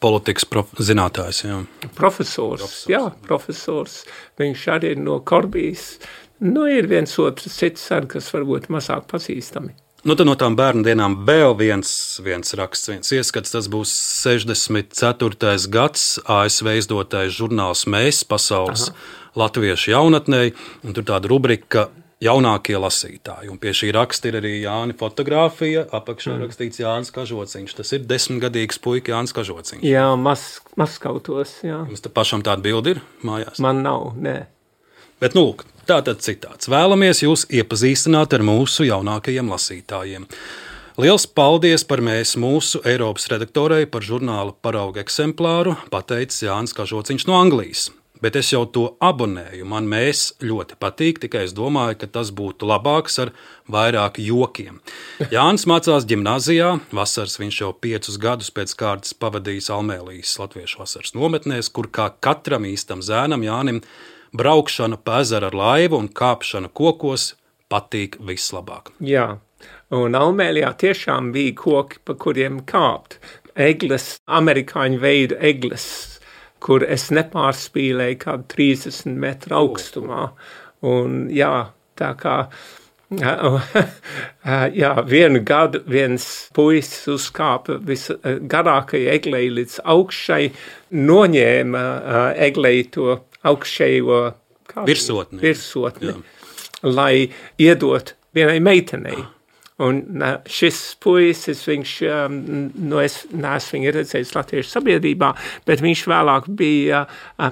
Politikas prof, zinātājs, jā. Profesors, profesors, jā, profesors. Viņš arī ir no Korbijas. Nu, ir viens otrs cits arī, kas varbūt mazāk pazīstami. Nu, tad no tām bērnu dienām vēl viens, viens raksts, viens ieskats, tas būs sešdesmit ceturtais gads, A S V izdotais žurnāls Mēs, pasaules Aha. latviešu jaunatnei, un tur tāda rubrika jaunākie lasītāji, un pie šī raksta ir arī Jāni fotogrāfija, apakšā mm. rakstīts Jānis Kažociņš, tas ir desmitgadīgs puika Jānis Kažociņš. Jā, maz, mazskautos, jā. Jums te pašam tāda bildi ir mājās? Man nav, nē. Bet, nu, lūk, tātad citāts. Vēlamies jūs iepazīstināt ar mūsu jaunākajiem lasītājiem. Liels paldies par mēs mūsu Eiropas redaktorei par žurnāla parauga eksemplāru, pateicis Jānis Kažociņš no Anglijas. Bet es jau to abonēju, man mēs ļoti patīk, tikai es domāju, ka tas būtu labāks ar vairāk jokiem. Jānis mācās ģimnāzijā, vasaras viņš jau piecus gadus pēc kārtas pavadījis Almēlijas latviešu vasaras nometnēs, kur kā katram īstam zēnam Jānim braukšana pa ezeru ar laivu un kāpšana kokos patīk vislabāk. Jā, un Almēlijā tiešām bija koki, pa kuriem kāpt. Egles, amerikāņu veidu egles, kur es nepārspīlēju kādu trīsdesmit metru augstumā. Un jā, tā kā, jā, vienu gadu viens puisis uzkāpa visgarākajai eglei līdz augšai, noņēma eglei to augšējo virsotni, virsotni lai iedot vienai meitenei. Un šis puisis, viņš, nu es neesmu viņu redzējis Latviešu sabiedrībā, bet viņš vēlāk bija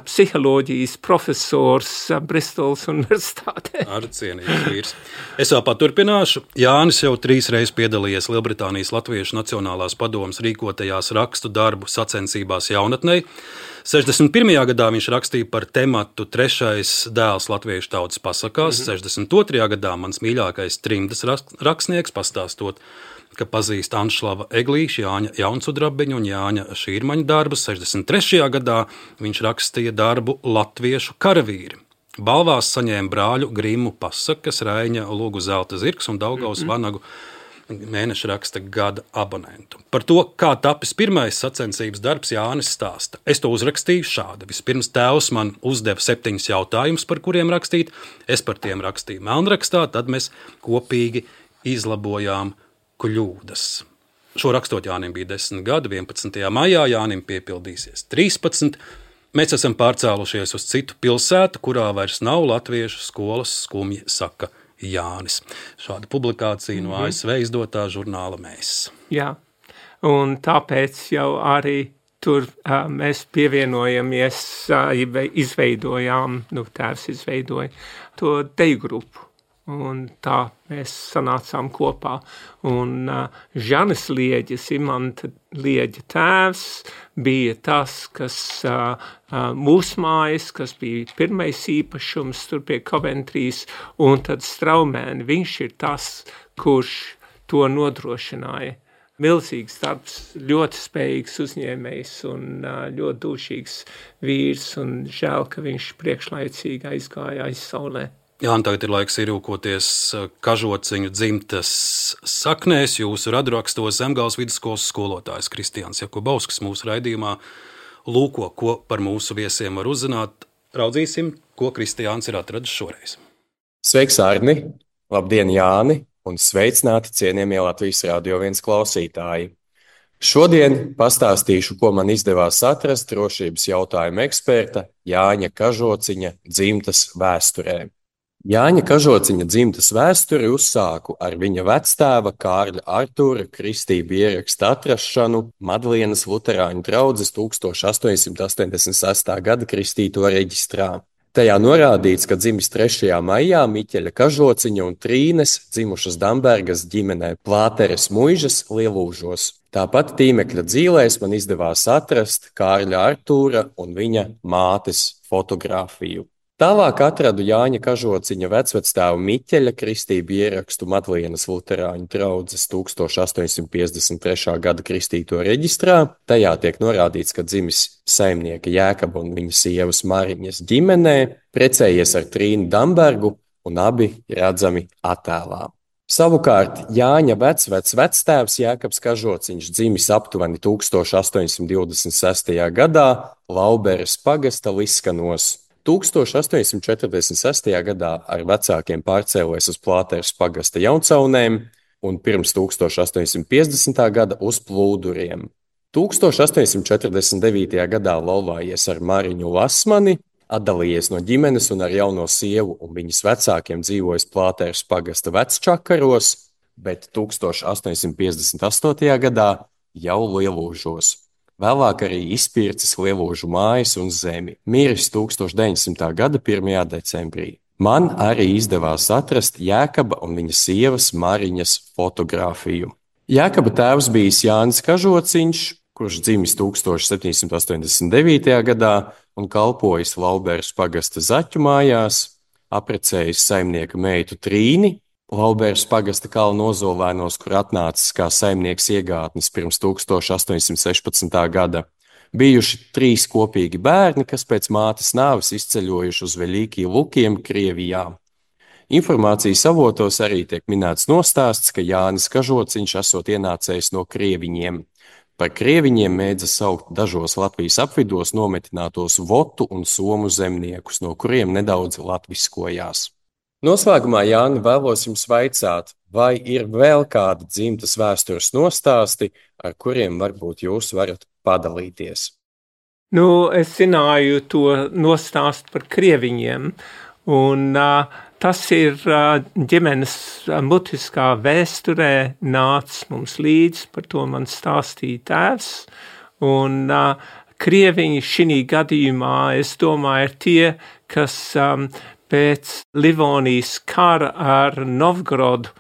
psiholoģijas profesors Bristolas universitātē. Ar cienīgs vīrs. Es vēl paturpināšu. Jānis jau trīs reizes piedalījies Lielbritānijas Latviešu Nacionālās padomes rīkotajās rakstu darbu sacensībās jaunatnei. sešdesmit pirmajā gadā viņš rakstīja par tematu Trešais dēls latviešu tautas pasakās. Mm-hmm. sešdesmit otrajā gadā mans mīļākais trimdas rakstnieks, pastāstot, ka pazīst Anšlava Eglīša, Jāņa Jaunsudrabiņu un Jāņa Šīrmaņa darbus. sešdesmit trešajā gadā viņš rakstīja darbu Latviešu karavīri. Balvās saņēma brāļu Grimu pasakas, Raiņa Lūgu zelta zirgs un Daugavas mm-hmm. vanagu mēneša raksta gada abonentu. Par to, kā tapis pirmais sacensības darbs, Jānis stāsta. Es to uzrakstīju šādi. Vispirms tēvs man uzdeva septiņus jautājumus, par kuriem rakstīt. Es par tiem rakstīju melnrakstā, tad mēs kopīgi izlabojām kļūdas. Šo rakstot Jānim bija desmit gadi, vienpadsmitajā maijā Jānim piepildīsies trīspadsmit. Mēs esam pārcēlušies uz citu pilsētu, kurā vairs nav latviešu skolas, skumji saka Jānis. Šāda publikācija no A S V izdotā žurnāla Mēs. Jā, un tāpēc jau arī tur uh, mēs pievienojamies, uh, izveidojām, nu tēvs izveidoja to deju grupu. Un tā mēs sanācām kopā. Un uh, Žanis Lieģis, Imanta Lieģa tēvs, bija tas, kas uh, uh, mūsu mājas, kas bija pirmais īpašums tur pie Coventrijas, un tad Straumēni, viņš ir tas, kurš to nodrošināja. Milzīgs darbs, ļoti spējīgs uzņēmējs un uh, ļoti dūšīgs vīrs, un žēl, ka viņš priekšlaicīgi aizgāja aiz saulē. Jā, un tagad ir laiks ierūkoties Kažociņu dzimtas saknēs. Jūsu radrakstos Zemgales vidusskolas skolotājs Kristiāns Jakubovskis mūsu raidījumā lūko, ko par mūsu viesiem var uzzināt. Raudzīsim, ko Kristiāns ir atradis šoreiz. Sveiks, Arni! Labdien, Jāni! Un sveicināti cienījamie Latvijas Radio viens klausītāji! Šodien pastāstīšu, ko man izdevās atrast drošības jautājumu eksperta Jāņa Kažociņa dzimtas vēsturē. Jāņa Kažociņa dzimtas vēsturi uzsāku ar viņa vectēva Kārļa Artūra kristību ieraksta atrašanu Madlienas luterāņu draudzes tūkstoš astoņsimt astoņdesmit sestā gada kristīto reģistrā. Tajā norādīts, ka dzimis trešajā maijā Miķeļa Kažociņa un Trīnes dzimušas Dambergas ģimenē Plāteres muižas Lielūžos. Tāpat tīmekļa dzīlēs man izdevās atrast Kārļa Artūra un viņa mātes fotogrāfiju. Tālāk atradu Jāņa Kažociņa vecvectēva Miķeļa kristību ierakstu Madlienas luterāņu draudzes tūkstoš astoņsimt piecdesmit trešā gada kristīto reģistrā. Tajā tiek norādīts, ka dzimis saimnieka Jēkaba un viņa sievas Mariņas ģimenē, precējies ar Trīnu Dambergu un abi redzami attēlā. Savukārt Jāņa vecvec vectēvs Jēkabs Kažociņš dzimis aptuveni tūkstoš astoņsimt divdesmit sestajā gadā Lauberes pagasta Liskanos. tūkstoš astoņsimt četrdesmit sestajā gadā ar vecākiem pārcēlies uz Plāteres pagasta Jauncaunēm un pirms tūkstoš astoņsimt piecdesmitā gada uz Plūduriem. tūkstoš astoņsimt četrdesmit devītajā gadā laulājies ar Mariņu Lasmani, atdalījies no ģimenes un ar jauno sievu un viņas vecākiem dzīvojis Plāteres pagasta Vecčakaros, bet tūkstoš astoņsimt piecdesmit astotajā gadā jau Lielūžos. Vēlāk arī izpircis Lielūžu mājas un zemi, miris tūkstoš deviņsimtā gada pirmajā decembrī. Man arī izdevās atrast Jēkaba un viņa sievas Mariņas fotogrāfiju. Jēkaba tēvs bijis Jānis Kažociņš, kurš dzimis tūkstoš septiņsimt astoņdesmit devītajā gadā un kalpojis Lauberes pagasta Zaķu mājās, aprecējis saimnieka meitu Trīni, Lauberes pagasta Kalnu Ozolēnos, kur atnācis kā saimnieks iegātnis pirms tūkstoš astoņsimt sešpadsmitā gada. Bijuši trīs kopīgi bērni, kas pēc mātes nāves izceļojuši uz Veļīkī Lukiem, Krievijā. Informācijas avotos arī tiek minēts nostāsts, ka Jānis Kažociņš esot ienācējis no krieviņiem. Par krieviņiem mēdza saukt dažos Latvijas apvidos nometinātos votu un somu zemniekus, no kuriem nedaudz latviskojās. Noslēgumā, Jāni, vēlos jums vaicāt, vai ir vēl kādi dzimtas vēstures nostāsti, ar kuriem varbūt jūs varat padalīties? Nu, es zināju to nostāstu par krieviņiem, un uh, tas ir uh, ģimenes uh, mutiskā vēsturē nācis mums līdz, par to man stāstīja tēvs, un uh, krieviņi šī gadījumā, es domāju, ir tie, kas um, pēc Livonijas kara ar Novgorodu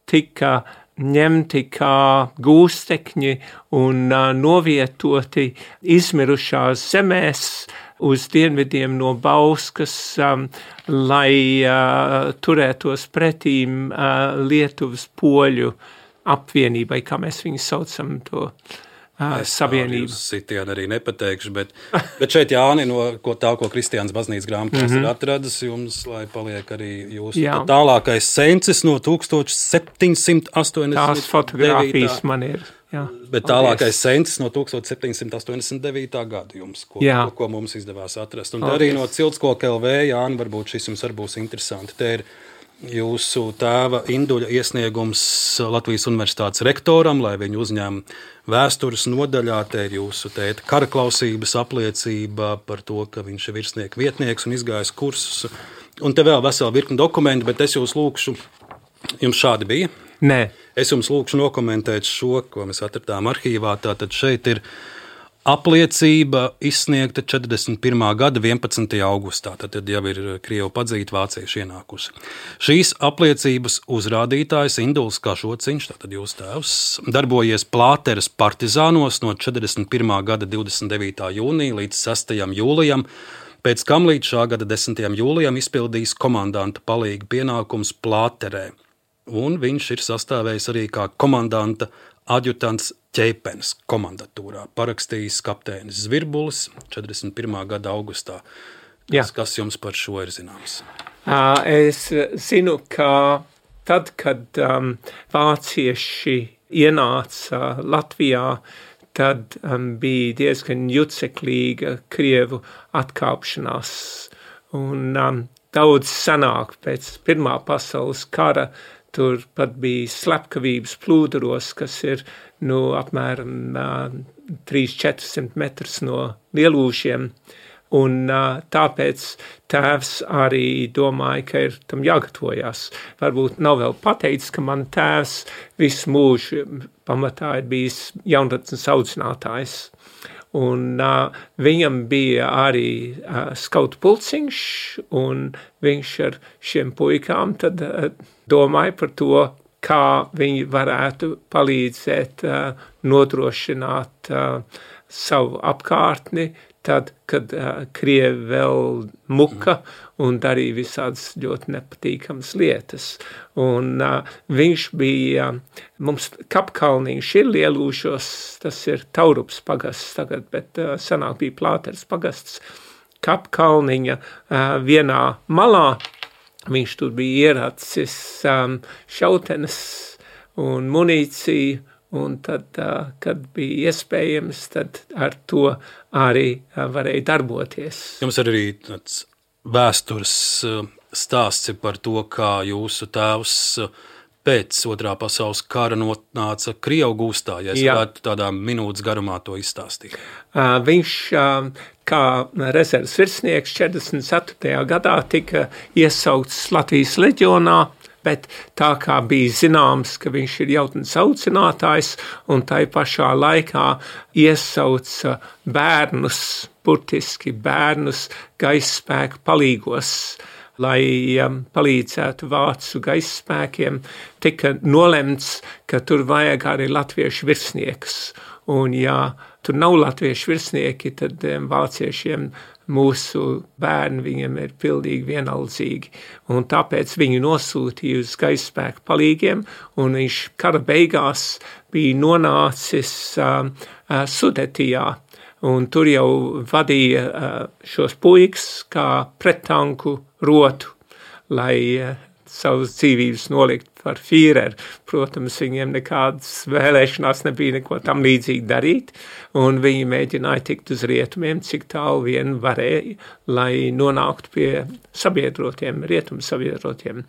tika ņemti kā gūstekņi un uh, novietoti izmirušās zemēs uz dienvidiem no Bauskas, um, lai uh, turētos pretīm uh, Lietuvas poļu apvienībai, kā mēs viņu saucam to uh, savienību. Es sitienu arī nepateikšu, bet, bet šeit Jāni, no ko tā, ko Kristiāns baznīcas grāmatās mm-hmm. ir atradis jums, lai paliek arī jūsu tālākais sencis no tūkstoš septiņsimt astoņdesmit devītā. Tās fotogrāfijas man ir. Jā, bet tālākais sencis no tūkstoš septiņsimt astoņdesmit devītā gada jums, ko, ko, ko mums izdevās atrast. Un paldies. Arī no Ciltskoka L V, Jāni, varbūt šis jums arī būs interesanti. Te ir jūsu tēva Induļa iesniegums Latvijas Universitātes rektoram, lai viņu uzņem vēstures nodaļā. Te ir jūsu tēta karaklausības apliecība par to, ka viņš ir virsnieka vietnieks un izgājis kursus. Un te vēl vesela virkni dokumenti, bet es jūs lūkšu, jums šādi bija? Nē. Es jums lūkšu nokomentēt šo, ko mēs atradām arhīvā. Tātad šeit ir apliecība izsniegta četrdesmit pirmā gada vienpadsmitajā augustā. Tad jau ir krievu padzīta vācieši ienākusi. Šīs apliecības uzrādītājs Induls Kažociņš, tātad jūs tēvs, darbojies Plāteres partizānos no četrdesmit pirmā gada divdesmit devītā jūnija līdz sestajam jūlijam, pēc kam līdz šā gada desmitajam jūlijam izpildījis komandanta palīga pienākums Plāterē. Un viņš ir sastāvējis arī kā komandanta adjutants Ķeipenes komandatūrā, parakstījis kapteinis Zvirbulis četrdesmit pirmā gada augustā. Tas, kas jums par šo ir zināms? Es zinu, ka tad, kad um, vācieši ienāca Latvijā, tad um, bija diezgan juceklīga krievu atkāpšanās. Un um, daudz senāk pēc Pirmā pasaules kara tur pat bija slepkavības Plūduros, kas ir nu, apmēram uh, trīs līdz četrsimt metrus no Lielūžiem. Un uh, tāpēc tēvs arī domāja, ka ir tam jāgatavojās. Varbūt nav vēl pateicis, ka man tēvs visu mūžu pamatā ir bijis jaunatnes audzinātājs. Un uh, viņam bija arī uh, skautu pulciņš, un viņš ar šiem puikām tad uh, domāja par to, kā viņi varētu palīdzēt uh, nodrošināt uh, savu apkārtni, tad, kad uh, Krievi vēl muka un darīja visādas ļoti nepatīkamas lietas. Un uh, viņš bija, uh, mums Kapkalniņš ir Lielūžos, tas ir Taurups pagasts tagad, bet uh, senāk bija Plāteres pagasts. Kapkalniņa uh, vienā malā viņš tur bija ieracis um, šautenes un munīciju, un tad, uh, kad bija iespējams, tad ar to arī uh, varēja darboties. Jums ir arī tāds vēstures uh, stāsts par to, kā jūsu tēvs uh, pēc otrā pasaules kara nonāca Krievu gūstā, ja es varētu tādā minūtes garumā to izstāstīt. Uh, viņš uh, kā rezerves virsnieks četrdesmit ceturtajā gadā tika iesaukts Latvijas leģionā, bet tā kā bija zināms, ka viņš ir jautnes audzinātājs un tai pašā laikā iesauca bērnus, burtiski bērnus gaisspēku palīgos, lai um, palīdzētu vācu gaisspēkiem, tika nolemts, ka tur vajag arī latviešu virsniekus. Un ja tur nav latviešu virsnieki, tad um, vāciešiem mūsu bērni viņiem ir pildīgi vienaldzīgi. Un tāpēc viņu nosūtīja uz gaisspēku palīgiem, un viņš kara beigās bija nonācis uh, uh, Sudetijā. Un tur jau vadīja uh, šos puikas kā prettanku rotu, lai uh, savas dzīvības nolikt par Führeru. Protams, viņiem nekādas vēlēšanās nebija neko tam līdzīgi darīt, un viņi mēģināja tikt uz rietumiem, cik tālu vien varēja, lai nonāktu pie sabiedrotiem, rietumu sabiedrotiem.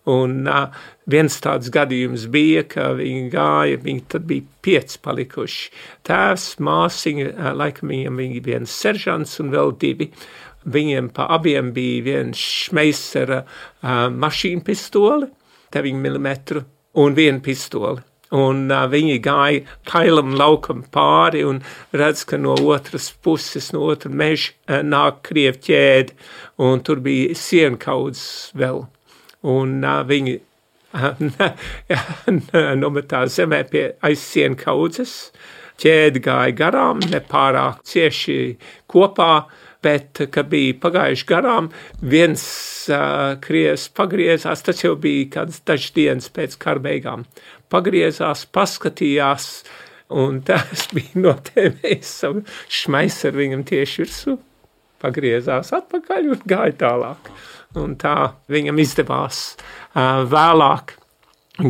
Un uh, viens tāds gadījums bija, ka viņi gāja, viņi tad bija pieci palikuši. Tēvs, māsiņa, uh, laikam viņam bija viens seržants un vēl divi. Viņiem pa abiem bija viens Šmeisera uh, mašīna pistole, deviņi milimetru, un viena pistole. Un uh, viņi gāja kailam laukam pāri un redz, ka no otras puses, no otra meža uh, nāk krievu ķēde, un tur bija sienkaudzes vēl. Un uh, viņi uh, nometās zemē pie aiz sienkaudzes, ķēde gāja garām, nepārāk cieši kopā, bet, kad bija pagājuši garām, viens uh, krievs pagriezās, tas jau bija kāds dažs dienas pēc kara beigām, pagriezās, paskatījās, un tas bija notēmējis savu Šmeiseru viņam tieši virsū, pagriezās atpakaļ un gāja tālāk. Un tā viņam izdevās uh, vēlāk,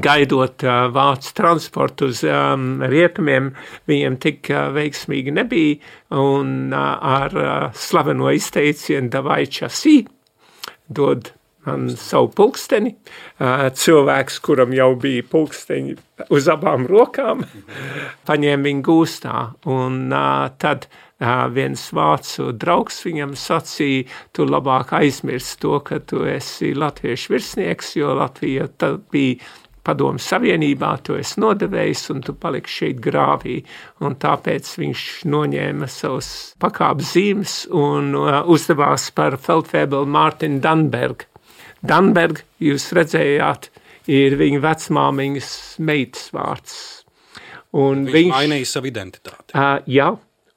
gaidot uh, vācu transportu uz um, rietumiem, viņiem tik uh, veiksmīgi nebija, un uh, ar uh, slaveno izteicienu davai časī, dod man savu pulksteni, uh, cilvēks, kuram jau bija pulksteņi uz abām rokām, paņēma viņu gūstā, un uh, tad uh, viens vācu draugs viņam sacīja, tu labāk aizmirsti to, ka tu esi latviešu virsnieks, jo Latvija tad bija Padomu Savienībā, tu esi nodevējis un tu paliksi šeit grāvī, un tāpēc viņš noņēma savus pakāpes zīmes un uh, uzdevās par feldfebeli Mārtiņu Danbergu. Danberg, jūs redzējāt, ir viņa vecmāmiņas meitas vārds. Un viņš, viņš mainīja savu identitāti. Uh, jā,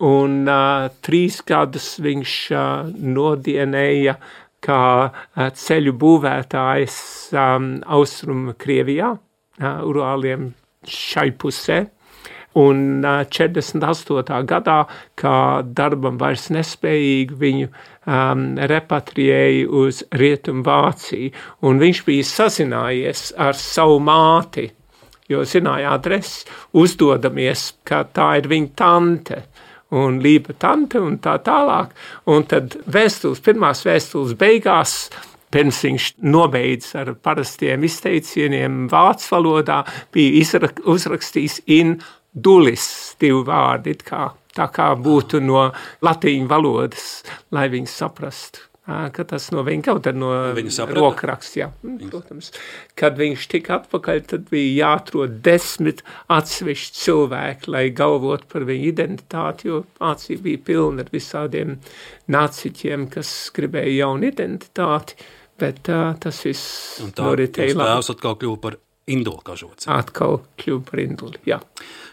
un uh, trīs gadus viņš uh, nodienēja kā uh, ceļu būvētājs um, Austrum Krievijā, uh, Urāliem šai pusē. Un četrdesmit astotā gadā, kā darbam vairs nespējīgi, viņu um, repatriēja uz Rietumu Vāciju. Un viņš bija sazinājies ar savu māti, jo zināja adresi, uzdodamies, ka tā ir viņa tante un lība tante un tā tālāk. Un tad vēstules, pirmās vēstules beigās, pirms viņš nobeidz ar parastiem izteicieniem vācu valodā, bija izrak- uzrakstījis in dulis, divi vārdi, it kā, tā kā būtu no latīņu valodas, lai viņi saprastu, ka tas no viņa kaut ar no rokraksts, jā, protams. Kad viņš tika atpakaļ, tad bija jāatrod desmit atsevišķi cilvēki, lai galvot par viņu identitāti, jo Vācija bija pilna ar visādiem naciķiem, kas gribēja jaunu identitāti, bet uh, tas viss noritēja labi. Un tā tēvs atkal kļuva par induli kažoci. Atkal kļuva par induli, jā.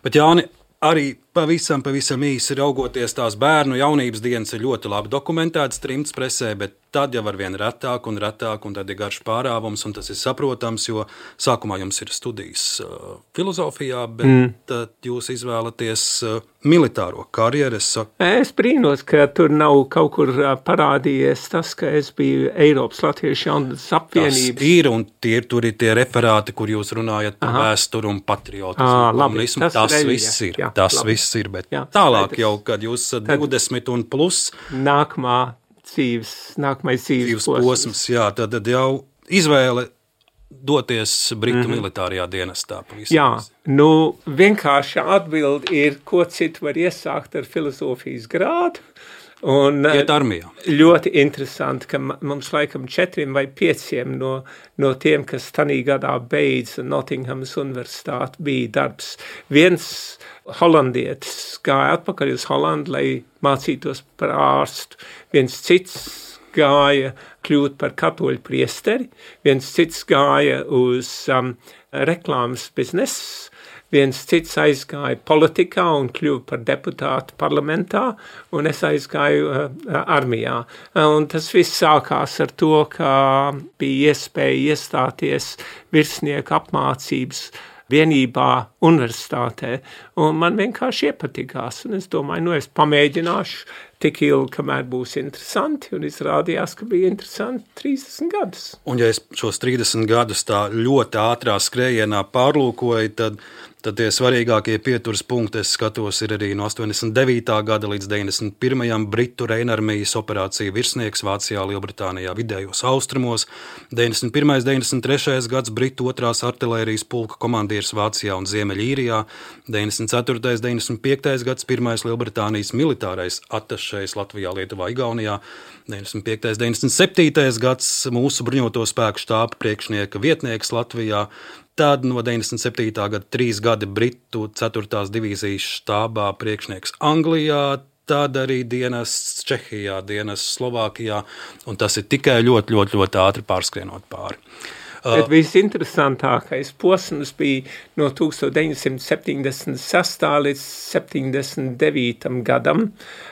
Bet Jāni, arī pavisam, pavisam īsi raugoties, tās bērnu jaunības dienas ir ļoti labi dokumentētas trimdas presē, bet tad jau ar vien retāk un retāk, un tad ir garš pārāvums, un tas ir saprotams, jo sākumā jums ir studijas uh, filozofijā, bet mm. tad jūs izvēlaties uh, militāro karjeru. Es, saku... es brīnos, ka tur nav kaut kur parādījies tas, ka es biju Eiropas Latviešu jaunatnes apvienības. Tas ir, un tie, tur ir tie referāti, kur jūs runājat par vēsturu un patriotismu. À, labi, tas tas ir, viss ir, jā, tas labi. viss ir, bet jā, tālāk skaidrs. jau, kad jūs esat divdesmit un plus. Nākamā dzīves, nākamais dzīves, dzīves posms. posms. Jā, tad, tad jau izvēle doties Britu mm-hmm. militārajā dienestā. Pavisam. Jā, nu vienkārši atbildi ir, ko citu var iesākt ar filozofijas grādu. Un iet armijā. Ļoti interesanti, ka mums laikam četriem vai pieciem no, no tiem, kas tanī gadā beidz Nottinghamas universitāti, bija darbs. Viens holandietis gāja atpakaļ uz Holandu, lai mācītos par ārstu. Viens cits gāja kļūt par katoļu priesteri, viens cits gāja uz um, reklāmas biznesu, viens cits aizgāja politikā un kļuva par deputātu parlamentā, un es aizgāju uh, armijā. Un tas viss sākās ar to, ka bija iespēja iestāties virsnieku apmācības vienībā universitātē, un man vienkārši iepatikās, un es domāju, nu es pamēģināšu tik ilgi, kamēr būs interesanti, un izrādījās, ka bija interesanti trīsdesmit gadus. Un ja es šos trīsdesmit gadus tā ļoti ātrā skrējienā pārlūkoju, tad, tad tie svarīgākie pieturas punkti, es skatos, ir arī no astoņdesmit devītā gada līdz deviņdesmit pirmajam Britu Reinarmijas operācija virsnieks Vācijā, Lielbritānijā, vidējos austrumos, deviņdesmit pirmais deviņdesmit trešais gads Britu otrās artilērijas pulka komandieris Vācijā un Ziemeļīrijā, deviņdesmit ceturtais deviņdesmit piektais gads pirmais Lielbritānijas militārais atašejs Latvijā, Lietuvā, Igaunijā, deviņdesmit piektais deviņdesmit septītais gads mūsu bruņoto spēku štāba priekšnieka vietnieks Latvijā, tad no deviņdesmit septītā gada trīs gadi Britu ceturtās divīzijas štābā priekšnieks Anglijā, tad arī dienests Čehijā, dienests Slovākijā, un tas ir tikai ļoti, ļoti, ļoti ātri pārskrienot pāri. Bet visinteresantākais posms bija no deviņdesmit septiņdesmit sestā līdz septiņdesmit devītam gadam,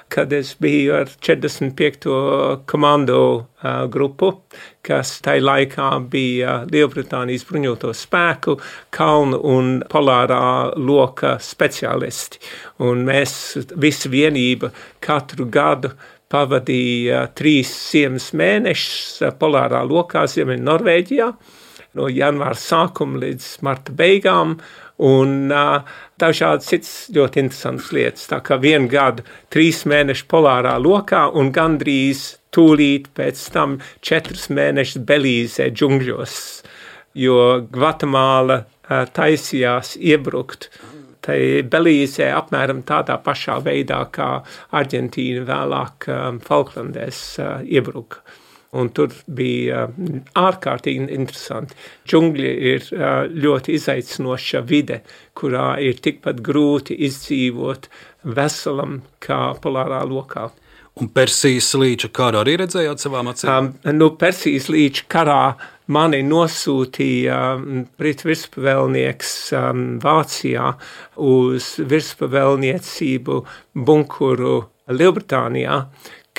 kad es biju ar četrdesmit piekto komando uh, grupu, kas tai laikā bija Lielbritānijas bruņoto spēku, kalnu un polārā loka speciālisti. Un mēs visi vienība katru gadu pavadīja trīs ziemas mēnešus polārā lokā Ziemeļ Norvēģijā, no janvāra sākuma līdz marta beigām, un uh, dažādi cits ļoti interesants lietas. Tā kā vienu gadu trīs mēneši polārā lokā un gandrīz tūlīt pēc tam četrus mēnešus Belīzē džungļos, jo Gvatemāla uh, taisījās iebrukt. Tai Belīzē apmēram tādā pašā veidā, kā Argentīna vēlāk um, Falklandēs uh, iebruka. Un tur bija uh, ārkārtīgi interesanti. Džungļi ir uh, ļoti izaicinoša vide, kurā ir tikpat grūti izdzīvot veselam kā polārā lokā. Un Persijas līča karu arī redzējāt savām acīm? Um, nu, Persijas līča karā mani nosūtīja um, Britu virspavēlnieks um, Vācijā uz virspavēlniecību bunkuru Lielbritānijā,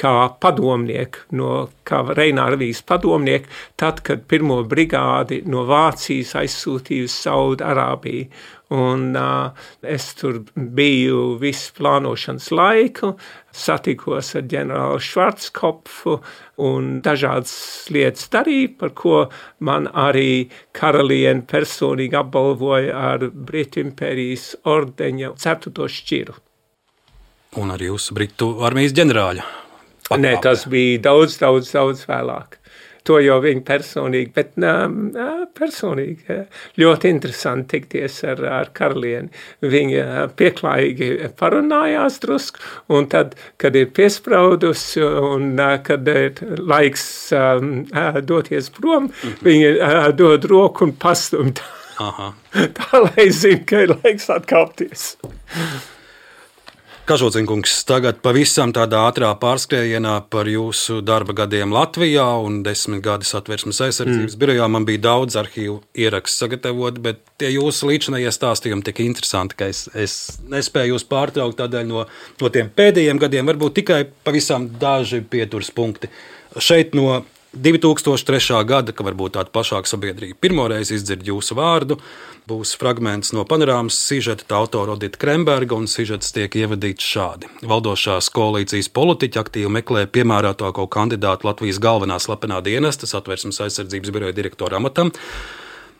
kā padomnieku, no, kā Reinarmijas padomnieku, tad, kad pirmo brigādi no Vācijas aizsūtīja uz Saudarābiju. Un uh, es tur biju visu plānošanas laiku, satikos ar ģenerāli Švarckopfu un dažādas lietas darīju, par ko man arī karaliene personīgi apbalvoja ar Britu impērijas ordeņa ceturto šķiru. Un arī uz Britu armijas ģenerāļa. Nē, tas bija daudz, daudz, daudz vēlāk. To jau viņi personīgi, bet nā, personīgi ļoti interesanti tikties ar, ar karalieni. Viņa pieklājīgi parunājās drusku, un tad, kad ir piespraudus un kad ir laiks um, doties prom, viņa dod roku un pastumt. Aha. Tā, lai zina, ka ir laiks atkāpties. Kažodziņkungs, tagad pavisam tādā ātrā pārskrējienā par jūsu darba gadiem Latvijā un desmit gadi Satversmes aizsardzības mm. birojā. Man bija daudz arhīvu ierakstu sagatavot, bet tie jūsu līdzinājie stāstījumi tik interesanti, ka es, es nespēju jūs pārtraukt, tādēļ no, no tiem pēdējiem gadiem varbūt tikai pavisam daži pieturas punkti. Šeit no divi tūkstoši trešā gada, ka varbūt tāda plašāka sabiedrība pirmoreiz izdzird jūsu vārdu, būs fragments no panorāmas sižeta, tā autora Odita Kremberga, un sižets tiek ievadīts šādi. Valdošās koalīcijas politiķi aktīvi meklē piemērotāko kandidātu Latvijas galvenā slepenā dienesta Satversmes aizsardzības biroja direktora amatam.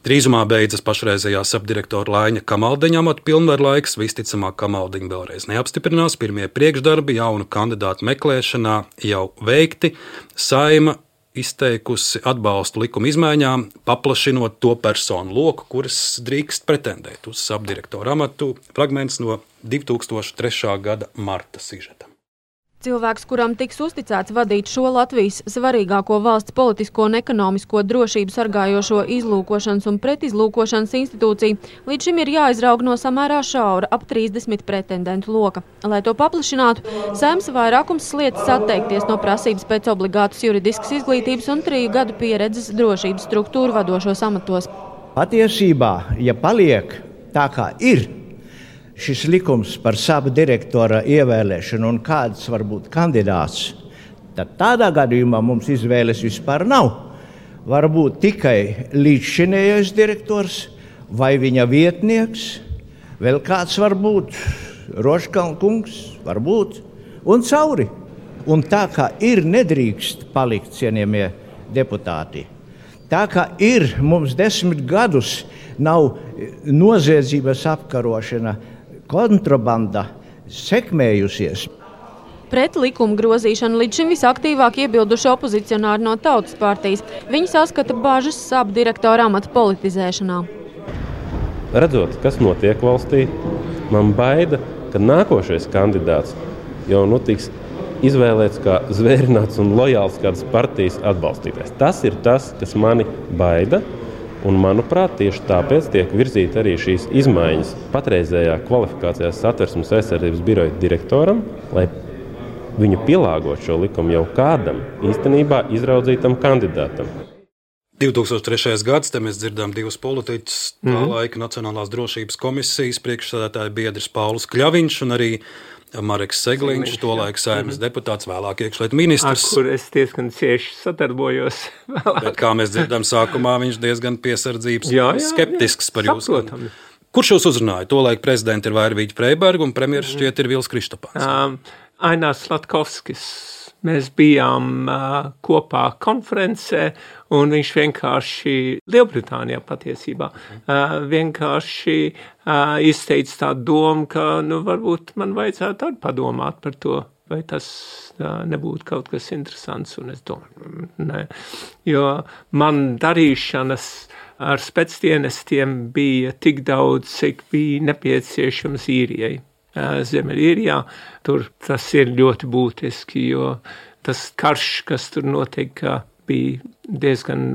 Drīzumā beidzas pašreizējā sapdirektora Laiņa Kamaldeņa amata pilnvaru laiks, visticamāk Kamaldeņa vēlreiz neapstiprinās, pirmie priekšdarbi jaunu kandidātu meklēšanā jau veikti, Saima izteikusi atbalstu likuma izmaiņām, paplašinot to personu loku, kuras drīkst pretendēt uz sapdirektora amatu. Fragments no divi tūkstoši trešā gada marta sižeta. Cilvēks, kuram tiks uzticēts vadīt šo Latvijas svarīgāko valsts politisko un ekonomisko drošību sargājošo izlūkošanas un pretizlūkošanas institūciju, līdz šim ir jāizraug no samērā šaura ap trīsdesmit pretendentu loka. Lai to paplašinātu, Saeimas vairākums sliedz atteikties no prasības pēc obligātas juridiskas izglītības un triju gadu pieredzes drošības struktūru vadošos amatos. Patiesībā, ja paliek tā kā ir, šis likums par sabu direktora ievēlēšanu un kāds var būt kandidāts, tad tādā gadījumā mums izvēles vispār nav. Var būt tikai līdzšinējais direktors vai viņa vietnieks, vēl kāds var būt, Rožkalna kungs, var būt, un cauri. Un tā kā ir, nedrīkst palikt, cienījamie deputāti. Tā kā ir, mums desmit gadus nav noziedzības apkarošana, kontrabanda sekmējusies. Pret likuma grozīšanu līdz šim visaktīvāk iebilduši opozicionāri no Tautas partijas. Viņi saskata bažas sapdirektora amata politizēšanā. Redzot, kas notiek valstī, man baida, ka nākošais kandidāts jau nu tiks izvēlēts kā zvērināts un lojāls kādas partijas atbalstītājs. Tas ir tas, kas mani baida. Un, manuprāt, tieši tāpēc tiek virzīta arī šīs izmaiņas patreizējā kvalifikācijā Satversmes aizsardzības biroja direktoram, lai viņu pielāgot šo likumu jau kādam īstenībā izraudzītam kandidātam. divi tūkstoši trešais gads, te mēs dzirdām divus politiķus, tā mm. laika Nacionālās drošības komisijas priekšsēdētāja biedrs Pauls Kļaviņš un arī Mareks Segliņš, tolaik Saeimas mm-hmm. deputāts, vēlāk iekšlietu ministrs. Ar kur es diezgan cieši sadarbojos. Bet, kā mēs dzirdam, sākumā viņš diezgan piesardzības, jā, jā, skeptisks jā, par jūs. Saprotam. Kurš jūs uzrunāja? Tolaik prezidenti ir Vairvīģa Freiberga un premjeras šķiet ir Vils Kristopāns. Um, Ainās Slatkovskis. Mēs bijām uh, kopā konferencē, un viņš vienkārši, Lielbritānijā patiesībā, uh, vienkārši uh, izteica tādu domu, ka nu, varbūt man vajadzētu arī padomāt par to, vai tas uh, nebūtu kaut kas interesants, un es domāju, ne. Jo man darīšanas ar specdienestiem bija tik daudz, cik bija nepieciešams īrijai. Ziemeļīrijā, tur tas ir ļoti būtiski, jo tas karš, kas tur notika, bija diezgan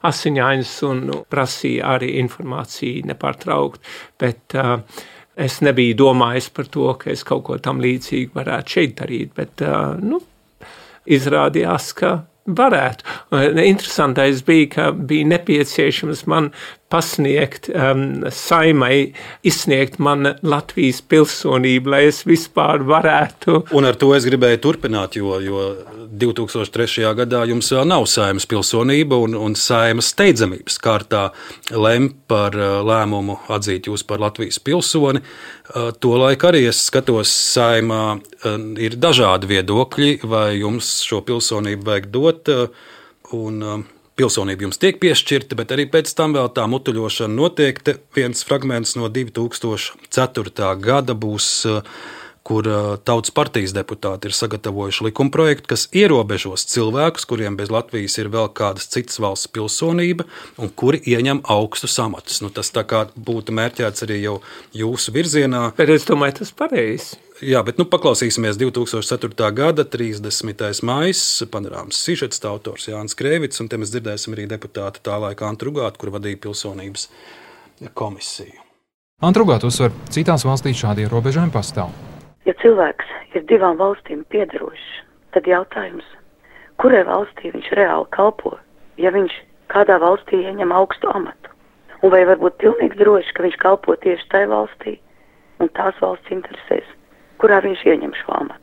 asiņains un prasīja arī informāciju nepārtraukt, bet uh, es nebiju domājis par to, ka es kaut ko tam līdzīgi varētu šeit darīt, bet uh, nu, izrādījās, ka varētu. Interesantais bija, ka bija nepieciešams man pasniegt, um, Saimai izsniegt man Latvijas pilsonību, lai es vispār varētu. Un ar to es gribēju turpināt, jo, jo divi tūkstoši trešajā gadā jums vēl nav Saimas pilsonība un, un Saimas steidzamības kārtā lem par lēmumu atzīt jūs par Latvijas pilsoni. Tolaik arī es skatos, Saimā ir dažādi viedokļi, vai jums šo pilsonību vajag dot, un pilsonība jums tiek piešķirta, bet arī pēc tam vēl tā mutuļošana notiek. Te viens fragments no divi tūkstoši ceturtā gada būs, kur Tautas partijas deputāti ir sagatavojuši likumprojektu, kas ierobežos cilvēkus, kuriem bez Latvijas ir vēl kādas citas valsts pilsonība un kuri ieņem augstus amatus. Nu, tas tā kā būtu mērķēts arī jau jūsu virzienā. Bet es domāju, tas pareizi. Jā, bet nu paklausīsimies divi tūkstoši ceturtā gada trīsdesmitais maijs, panorāmas sižets, autors Jānis Krēvits, un te mēs dzirdēsim arī deputāti tā laika Antu Rugātu, kur vadīja pilsonības komisiju. Antu Rugātu uzsver, citās valstīs šādi ierobežojumi pastāv. Ja cilvēks ir divām valstīm piederošs, tad jautājums, kurai valstī viņš reāli kalpo, ja viņš kādā valstī ieņem augstu amatu? Un vai var būt pilnīgi droši, ka viņš kalpo tieši tai valstī un tās valsts interesēs, kurā viņš ieņem šo amatu?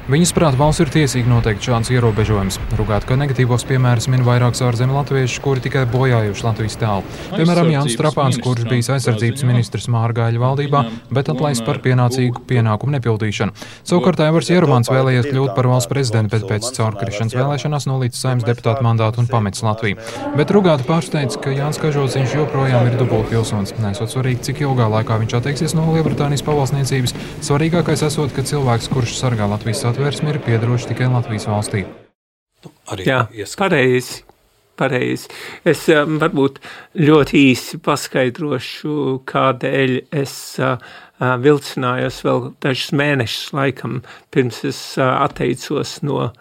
Viņas prāt, valsts ir tiesīgi noteikt šādus ierobežojumus. Rugāt, ka negatīvos piemērus min vairākus ārzemju latvieši, kuri tikai bojājuši Latvijas tēlu. Piemēram, Jānis Trapāns, kurš bijis aizsardzības ministrs Mārgāļa valdībā, bet atlaists par pienācīgu pienākumu nepildīšanu. Savukārt Aivars Ierumans vēlējies kļūt par valsts prezidentu, bet pēc caurkrišanas vēlēšanās nolīdz Saeimas deputāta mandātu un pametis Latviju. Bet Rugāta pārsteidz, ka Jānis Kažociņš joprojām ir dubultpilsonis. Nesot svarīgi, cik ilgā laikā viņš atteiksies no Lielbritānijas pavalsniecības, svarīgākais esot, ka cilvēks, kurš sargā Latvijas atvērsmi, ir piederoši tikai Latvijas valstī. Arī Jā, pareizi, pareizi. Es um, varbūt ļoti īsi paskaidrošu, kādēļ es uh, vilcinājos vēl dažus mēnešus laikam, pirms es uh, atteicos no uh,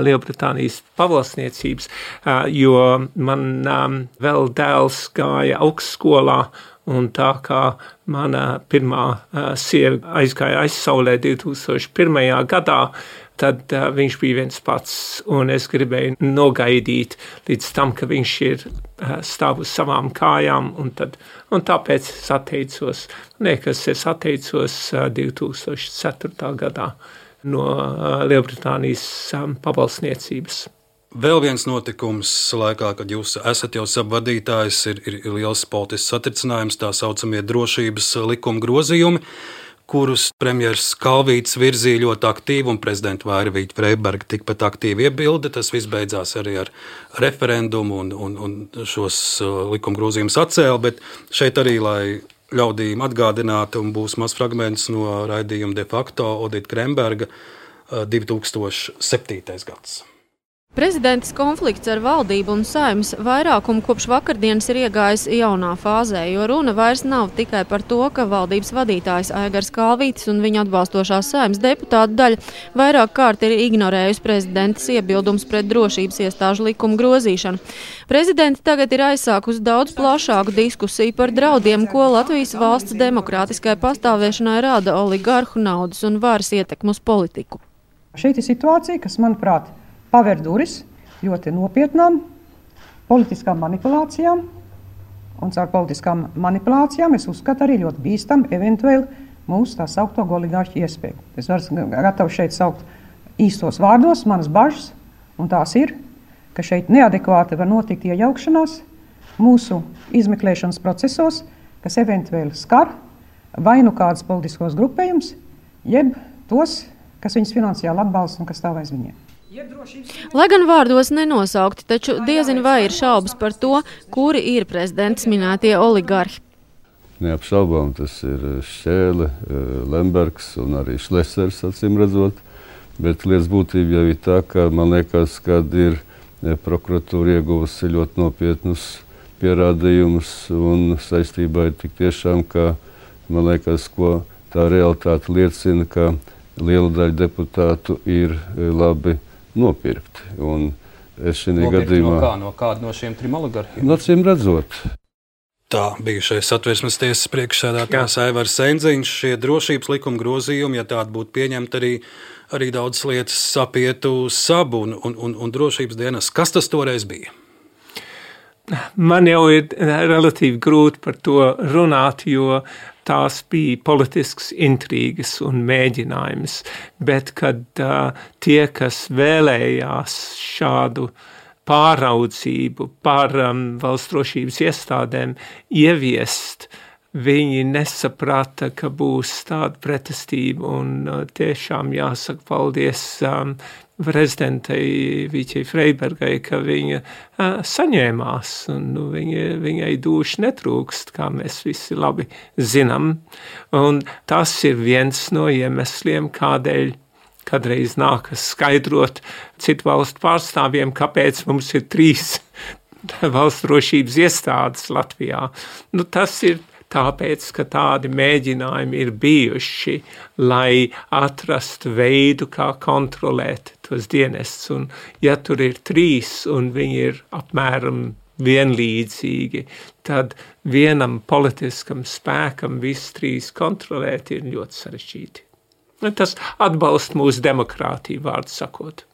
Lielbritānijas pavalsniecības, uh, jo man um, vēl dēls gāja augstskolā, un tā kā mana pirmā uh, sieva aizgāja aizsaulē divi tūkstoši pirmajā gadā, tad uh, viņš bija viens pats, un es gribēju nogaidīt līdz tam, ka viņš ir uh, stāv uz savām kājām, un, tad, un tāpēc es atteicos. Liekas, es atteicos uh, divi tūkstoši ceturtā gadā no uh, Lielbritānijas um, pavalsniecības. Vēl viens notikums laikā, kad jūs esat jau savadītājs, ir, ir liels politisks satricinājums, tā saucamie drošības likuma grozījumi, kurus premjers Kalvītis virzīja ļoti aktīvi un prezidenta Vairvīķa Freiberga tikpat aktīvi iebilda. Tas viss beidzās arī ar referendumu un, un, un šos likuma grozījumus atcēla, bet šeit arī, lai ļaudīm atgādinātu, un būs mazs fragments no raidījuma de facto Odita Kremberga divi tūkstoši septītais gads. Prezidentes konflikts ar valdību un Saeimas vairākumu kopš vakardienas ir iegājis jaunā fāzē, jo runa vairs nav tikai par to, ka valdības vadītājs Aigars Kalvītis un viņa atbalstošās Saeimas deputātu daļa vairāk kārt ir ignorējusi prezidentes iebildums pret drošības iestāžu likumu grozīšanu. Prezidente tagad ir aizsākusi daudz plašāku diskusiju par draudiem, ko Latvijas valsts demokrātiskai pastāvēšanai rada oligarhu naudas un varas ietekmu uz politiku. Šeit ir situācija, kas, manuprāt, paver duris ļoti nopietnām politiskām manipulācijām, un caur politiskām manipulācijām es uzskatu arī ļoti bīstam eventuēli mūsu tā saukto oligārķu iespēju. Es varu gatavu šeit saukt īstos vārdos, manas bažas, un tās ir, ka šeit neadekvāti var notikt iejaukšanās mūsu izmeklēšanas procesos, kas eventuēli skar vai nu kādas politiskos grupējumus, jeb tos, kas viņus finansiāli atbalsta un kas stāv aiz viņiem. Lai gan vārdos nenosaukti, taču diezin vai ir šaubas par to, kuri ir prezidents minētie oligarhi. Neapšaubām tas ir Šķēle, Lembergs un arī Šlesers, acīm redzot, bet lietas būtība jau ir tā, ka man liekas, kad ir prokuratūra ieguvusi ļoti nopietnus pierādījumus un saistībā ir tik tiešām, ka man liekas, ko tā realitāte liecina, ka liela daļa deputātu ir labi nopirkti. Un es šī gadījumā... No kā? No kāda no šiem trim oligarhiem? No acīm redzot. Tā bijušais Satversmes tiesas priekšsēdētājs Aivars Sendziņš, šie drošības likuma grozījumi, ja tādi būtu pieņemti, arī, arī daudz lietas sapietu sabu un, un, un, un drošības dienas. Kas tas toreiz bija? Man jau ir relatīvi grūti par to runāt, jo tās bija politisks intrīgas un mēģinājums, bet kad uh, tie, kas vēlējās šādu pāraudzību par um, valsts drošības iestādēm ieviest, viņi nesaprata, ka būs tāda pretestība, un uh, tiešām jāsaka paldies um, prezidentei Viķei Freibergai, ka viņa uh, saņēmās, un nu, viņa, viņai dūši netrūkst, kā mēs visi labi zinām. Un tas ir viens no iemesliem, kādēļ kādreiz nākas skaidrot citu valstu pārstāvjiem, kāpēc mums ir trīs valsts drošības iestādes Latvijā. Nu, tas ir tāpēc, ka tādi mēģinājumi ir bijuši, lai atrastu veidu, kā kontrolēt tos dienestus. Un ja tur ir trīs un viņi ir apmēram vienlīdzīgi, tad vienam politiskam spēkam visus trīs kontrolēt ir ļoti sarežģīti. Tas atbalsta mūsu demokrātiju, vārdu sakot.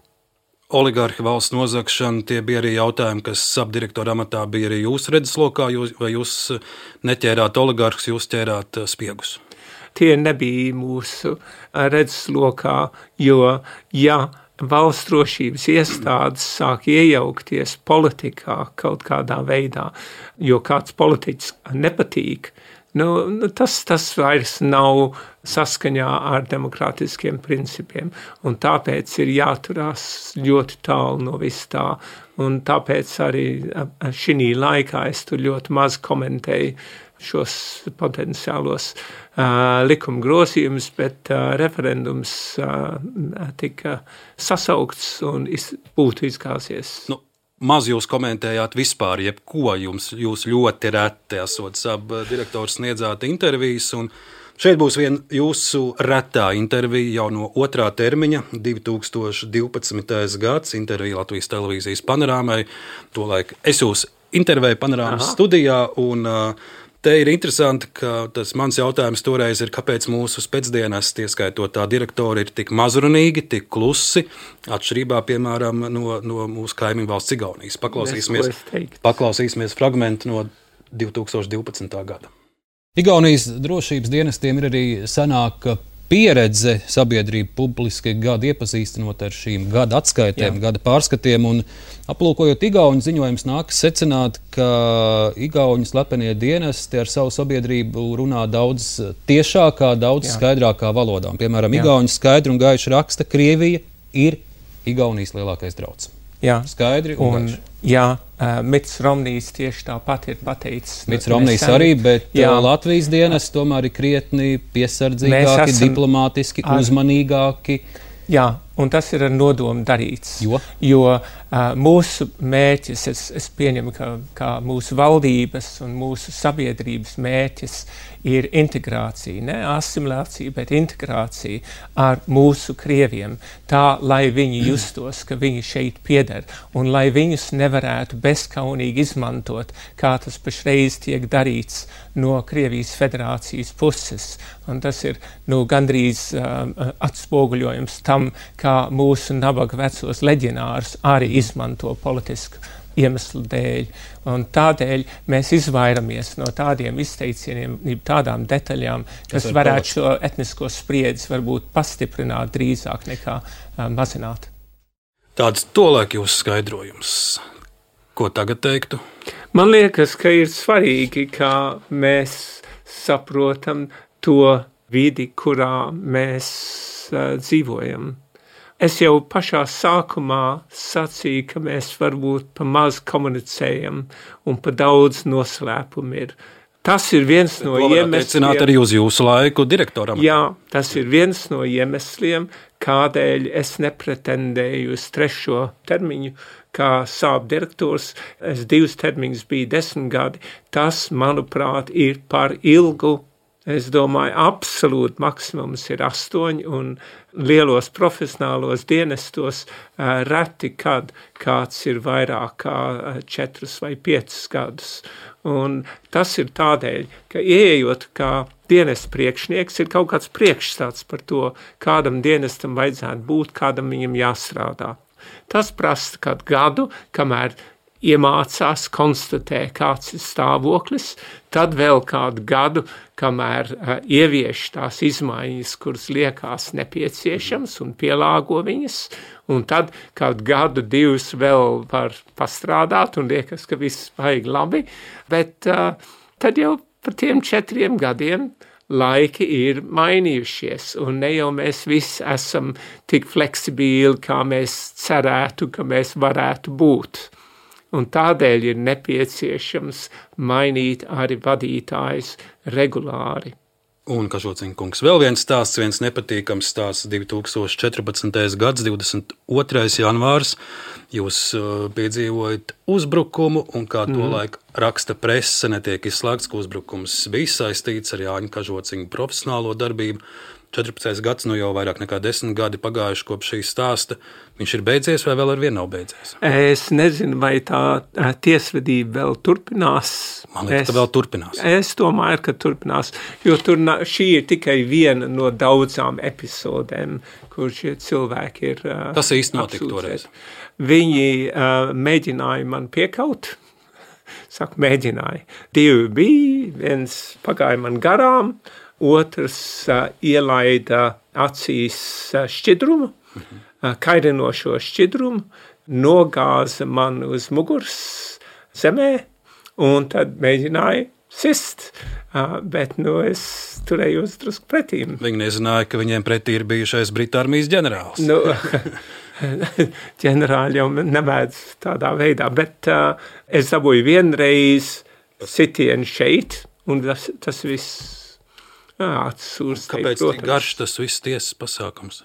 Oligarhi, valsts nozagšana, tie bija arī jautājumi, kas subdirektora amatā bija arī jūsu redzeslokā, jūs, vai jūs neķērāt oligarhus, jūs ķērāt spiegus? Tie nebija mūsu redzeslokā, jo, ja valsts drošības iestādes sāk iejaukties politikā kaut kādā veidā, jo kāds politiķis nepatīk, nu, tas, tas vairs nav saskaņā ar demokrātiskiem principiem, un tāpēc ir jāturās ļoti tālu no vis tā, un tāpēc arī šī laikā es tur ļoti maz komentēju šos potenciālos uh, likuma grozījumus, bet uh, referendums uh, tika sasaukts un iz, būtu izgāzies. Nu, maz jūs komentējāt vispār, jebko jums, jūs ļoti reti esot sab direktors sniedzāt intervijas, un šeit būs viena jūsu retā intervija jau no otrā termiņa, divi tūkstoši divpadsmitais gads, intervija Latvijas televīzijas panorāmai. Tolaik es jūs intervēju panorāmas Aha. studijā, un uh, te ir interesanti, ka tas mans jautājums toreiz ir, kāpēc mūsu spēcdienas, ieskaitot tā direktori, ir tik mazrunīgi, tik klusi, atšķirībā, piemēram, no, no mūsu kaimiņu valsts Igaunijas. Paklausīsimies, paklausīsimies fragmentu no divi tūkstoši divpadsmitā gada. Igaunijas drošības dienestiem ir arī senāka pieredze sabiedrība publiski gadu iepazīstinot ar šīm gada atskaitēm, Jā. gada pārskatiem, un aplūkojot Igauņu ziņojums nākas secināt, ka Igauņu slepenie dienesti ar savu sabiedrību runā daudz tiešākā, daudz Jā. skaidrākā valodā. Piemēram, Jā. Igauņu skaidri un gaiši raksta, Krievija ir Igaunijas lielākais drauds. Jā. Skaidri un, un gaiši. Jā, uh, Mits Romnijs tieši tāpat ir pateicis. Mits Romnijs arī, bet jā. Latvijas dienas tomēr ir krietni piesardzīgāki, esam, diplomātiski, ar, uzmanīgāki. Jā, un tas ir ar nodomu darīts. Jo, jo uh, mūsu mērķis, es, es pieņemu, ka, ka mūsu valdības un mūsu sabiedrības mērķis ir integrācija, ne asimilācija, bet integrācija ar mūsu krieviem, tā, lai viņi justos, ka viņi šeit pieder, un lai viņus nevarētu bezkaunīgi izmantot, kā tas pašreiz tiek darīts no Krievijas federācijas puses. Un tas ir nu, gandrīz uh, atspoguļojums tam, kā mūsu nabaga vecos leģionārus arī izmanto politisku iemeslu dēļ. Un tādēļ mēs izvairamies no tādiem izteicieniem, tādām detaļām, kas varētu šo etnisko spriedzi varbūt pastiprināt drīzāk nekā uh, mazināt. Tāds tolaik jūsu skaidrojums. Ko tagad teiktu? Man liekas, ka ir svarīgi, kā mēs saprotam to vidi, kurā mēs uh, dzīvojam. Es jau pašā sākumā sacīju, ka mēs varbūt pa maz komunicējam un pa daudz noslēpumu ir. Tas ir viens no iemesliem. Arī uz jūsu laiku direktoram. Jā, tas ir viens no iemesliem, kādēļ es nepretendēju uz trešo termiņu, kā sāp direktors. Es divus termiņus biju desmit gadi. Tas, manuprāt, ir par ilgu. Es domāju, absolūti maksimums ir astoņi, un lielos profesionālos dienestos uh, reti, kad kāds ir vairāk kā uh, četrus vai piecus gadus. Un tas ir tādēļ, ka ieejot kā dienesta priekšnieks, ir kaut kāds priekšstats par to, kādam dienestam vajadzētu būt, kādam viņam jāstrādā. Tas prasa kādu gadu, kamēr iemācās, konstatē, kāds ir stāvoklis, tad vēl kādu gadu, kamēr uh, ievieš tās izmaiņas, kuras liekas nepieciešams un pielāgo viņas, un tad kādu gadu, divus vēl var pastrādāt un liekas, ka viss vajag labi, bet uh, tad jau par tiem četriem gadiem laiki ir mainījušies, un ne jau mēs visi esam tik fleksibili, kā mēs cerētu, ka mēs varētu būt. Un tādēļ ir nepieciešams mainīt arī vadītājus regulāri. Un, Kažociņa kungs, vēl viens stāsts, viens nepatīkams stāsts, divi tūkstoši četrpadsmitais gads, divdesmit otrais janvārs. Jūs uh, piedzīvojat uzbrukumu, un kā to mm. laik raksta prese, netiek izslēgts, ka uzbrukums bija saistīts ar Jāņa Kažociņa profesionālo darbību. četrpadsmitais gads, nu jau vairāk nekā desmit gadi pagājuši kopš šī stāsta. Viņš ir beidzies vai vēl ar vienu nav beidzies? Es nezinu, vai tā tiesvedība vēl turpinās. Man liekas, es, ka vēl turpinās. Es domāju, ka turpinās, jo tur šī ir tikai viena no daudzām epizodēm, kur šie cilvēki ir uh, Kas īsti notika toreiz? Viņi uh, mēģināja man piekaut. Saku, mēģināja. Divi bija, viens pagāja man garām, otrs uh, ielaida acīs uh, šķidrumu, mhm. uh, kairinošo šķidrumu, nogāza man uz muguras zemē un tad mēģināja sist. Uh, bet nu, es turējos drusku pretīm. Viņi nezināja, ka viņiem pretī ir bijušais Britu armijas ģenerālis. Nu, ģenerāļi jau nemēdz tādā veidā, bet uh, es dabūju vienreiz sitienu šeit, un tas, tas viss atsūrs. Kāpēc tik garš tas viss tiesas pasākums?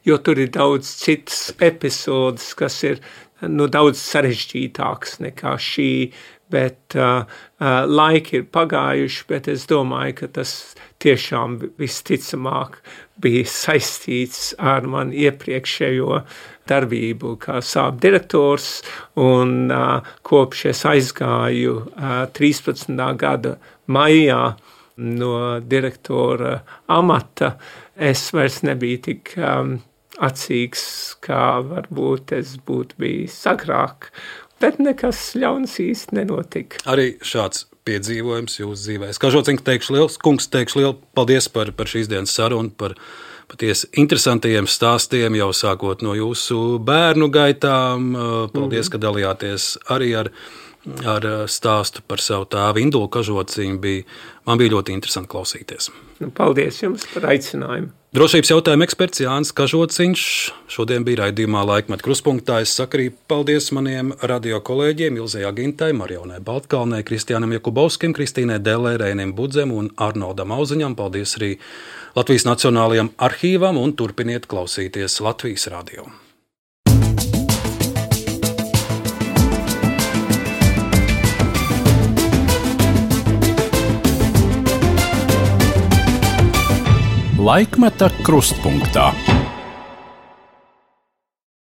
Jo tur ir daudz citas epizodes, kas ir nu, daudz sarežģītāks nekā šī, bet uh, uh, laiki ir pagājuši, bet es domāju, ka tas tiešām visticamāk bija saistīts ar man iepriekšējo darbību kā sāp direktors, un uh, kopš es aizgāju uh, trīspadsmitā gada maijā no direktora amata, es vairs nebiju tik um, acīgs, kā varbūt es būtu bijis agrāk, bet nekas ļauns īsti nenotika. Arī šāds piedzīvojums jūsu dzīvē. Kažociņš teikšu liels, kungs teikšu lielu paldies par, par šīs dienas sarunu, par patiesi interesantajiem stāstiem, jau sākot no jūsu bērnu gaitām. Paldies, mm-hmm. ka dalījāties arī ar, ar stāstu par savu tēvu Indulu Kažociņu. Bija, man bija ļoti interesanti klausīties. Paldies jums par aicinājumu. Drošības jautājuma eksperts Jānis Kažociņš šodien bija raidījumā Laikmeta kruspunktā. Es saku arī paldies maniem radio kolēģiem Ilzei Agintai, Marionai Baltkalnei, Kristiānam Jakubovskim, Kristīnai Dellē, Reinim Budzem un Arnoldam Auziņam. Paldies arī Latvijas Nacionālajam arhīvam un turpiniet klausīties Latvijas radio. Laikmeta krustpunktā.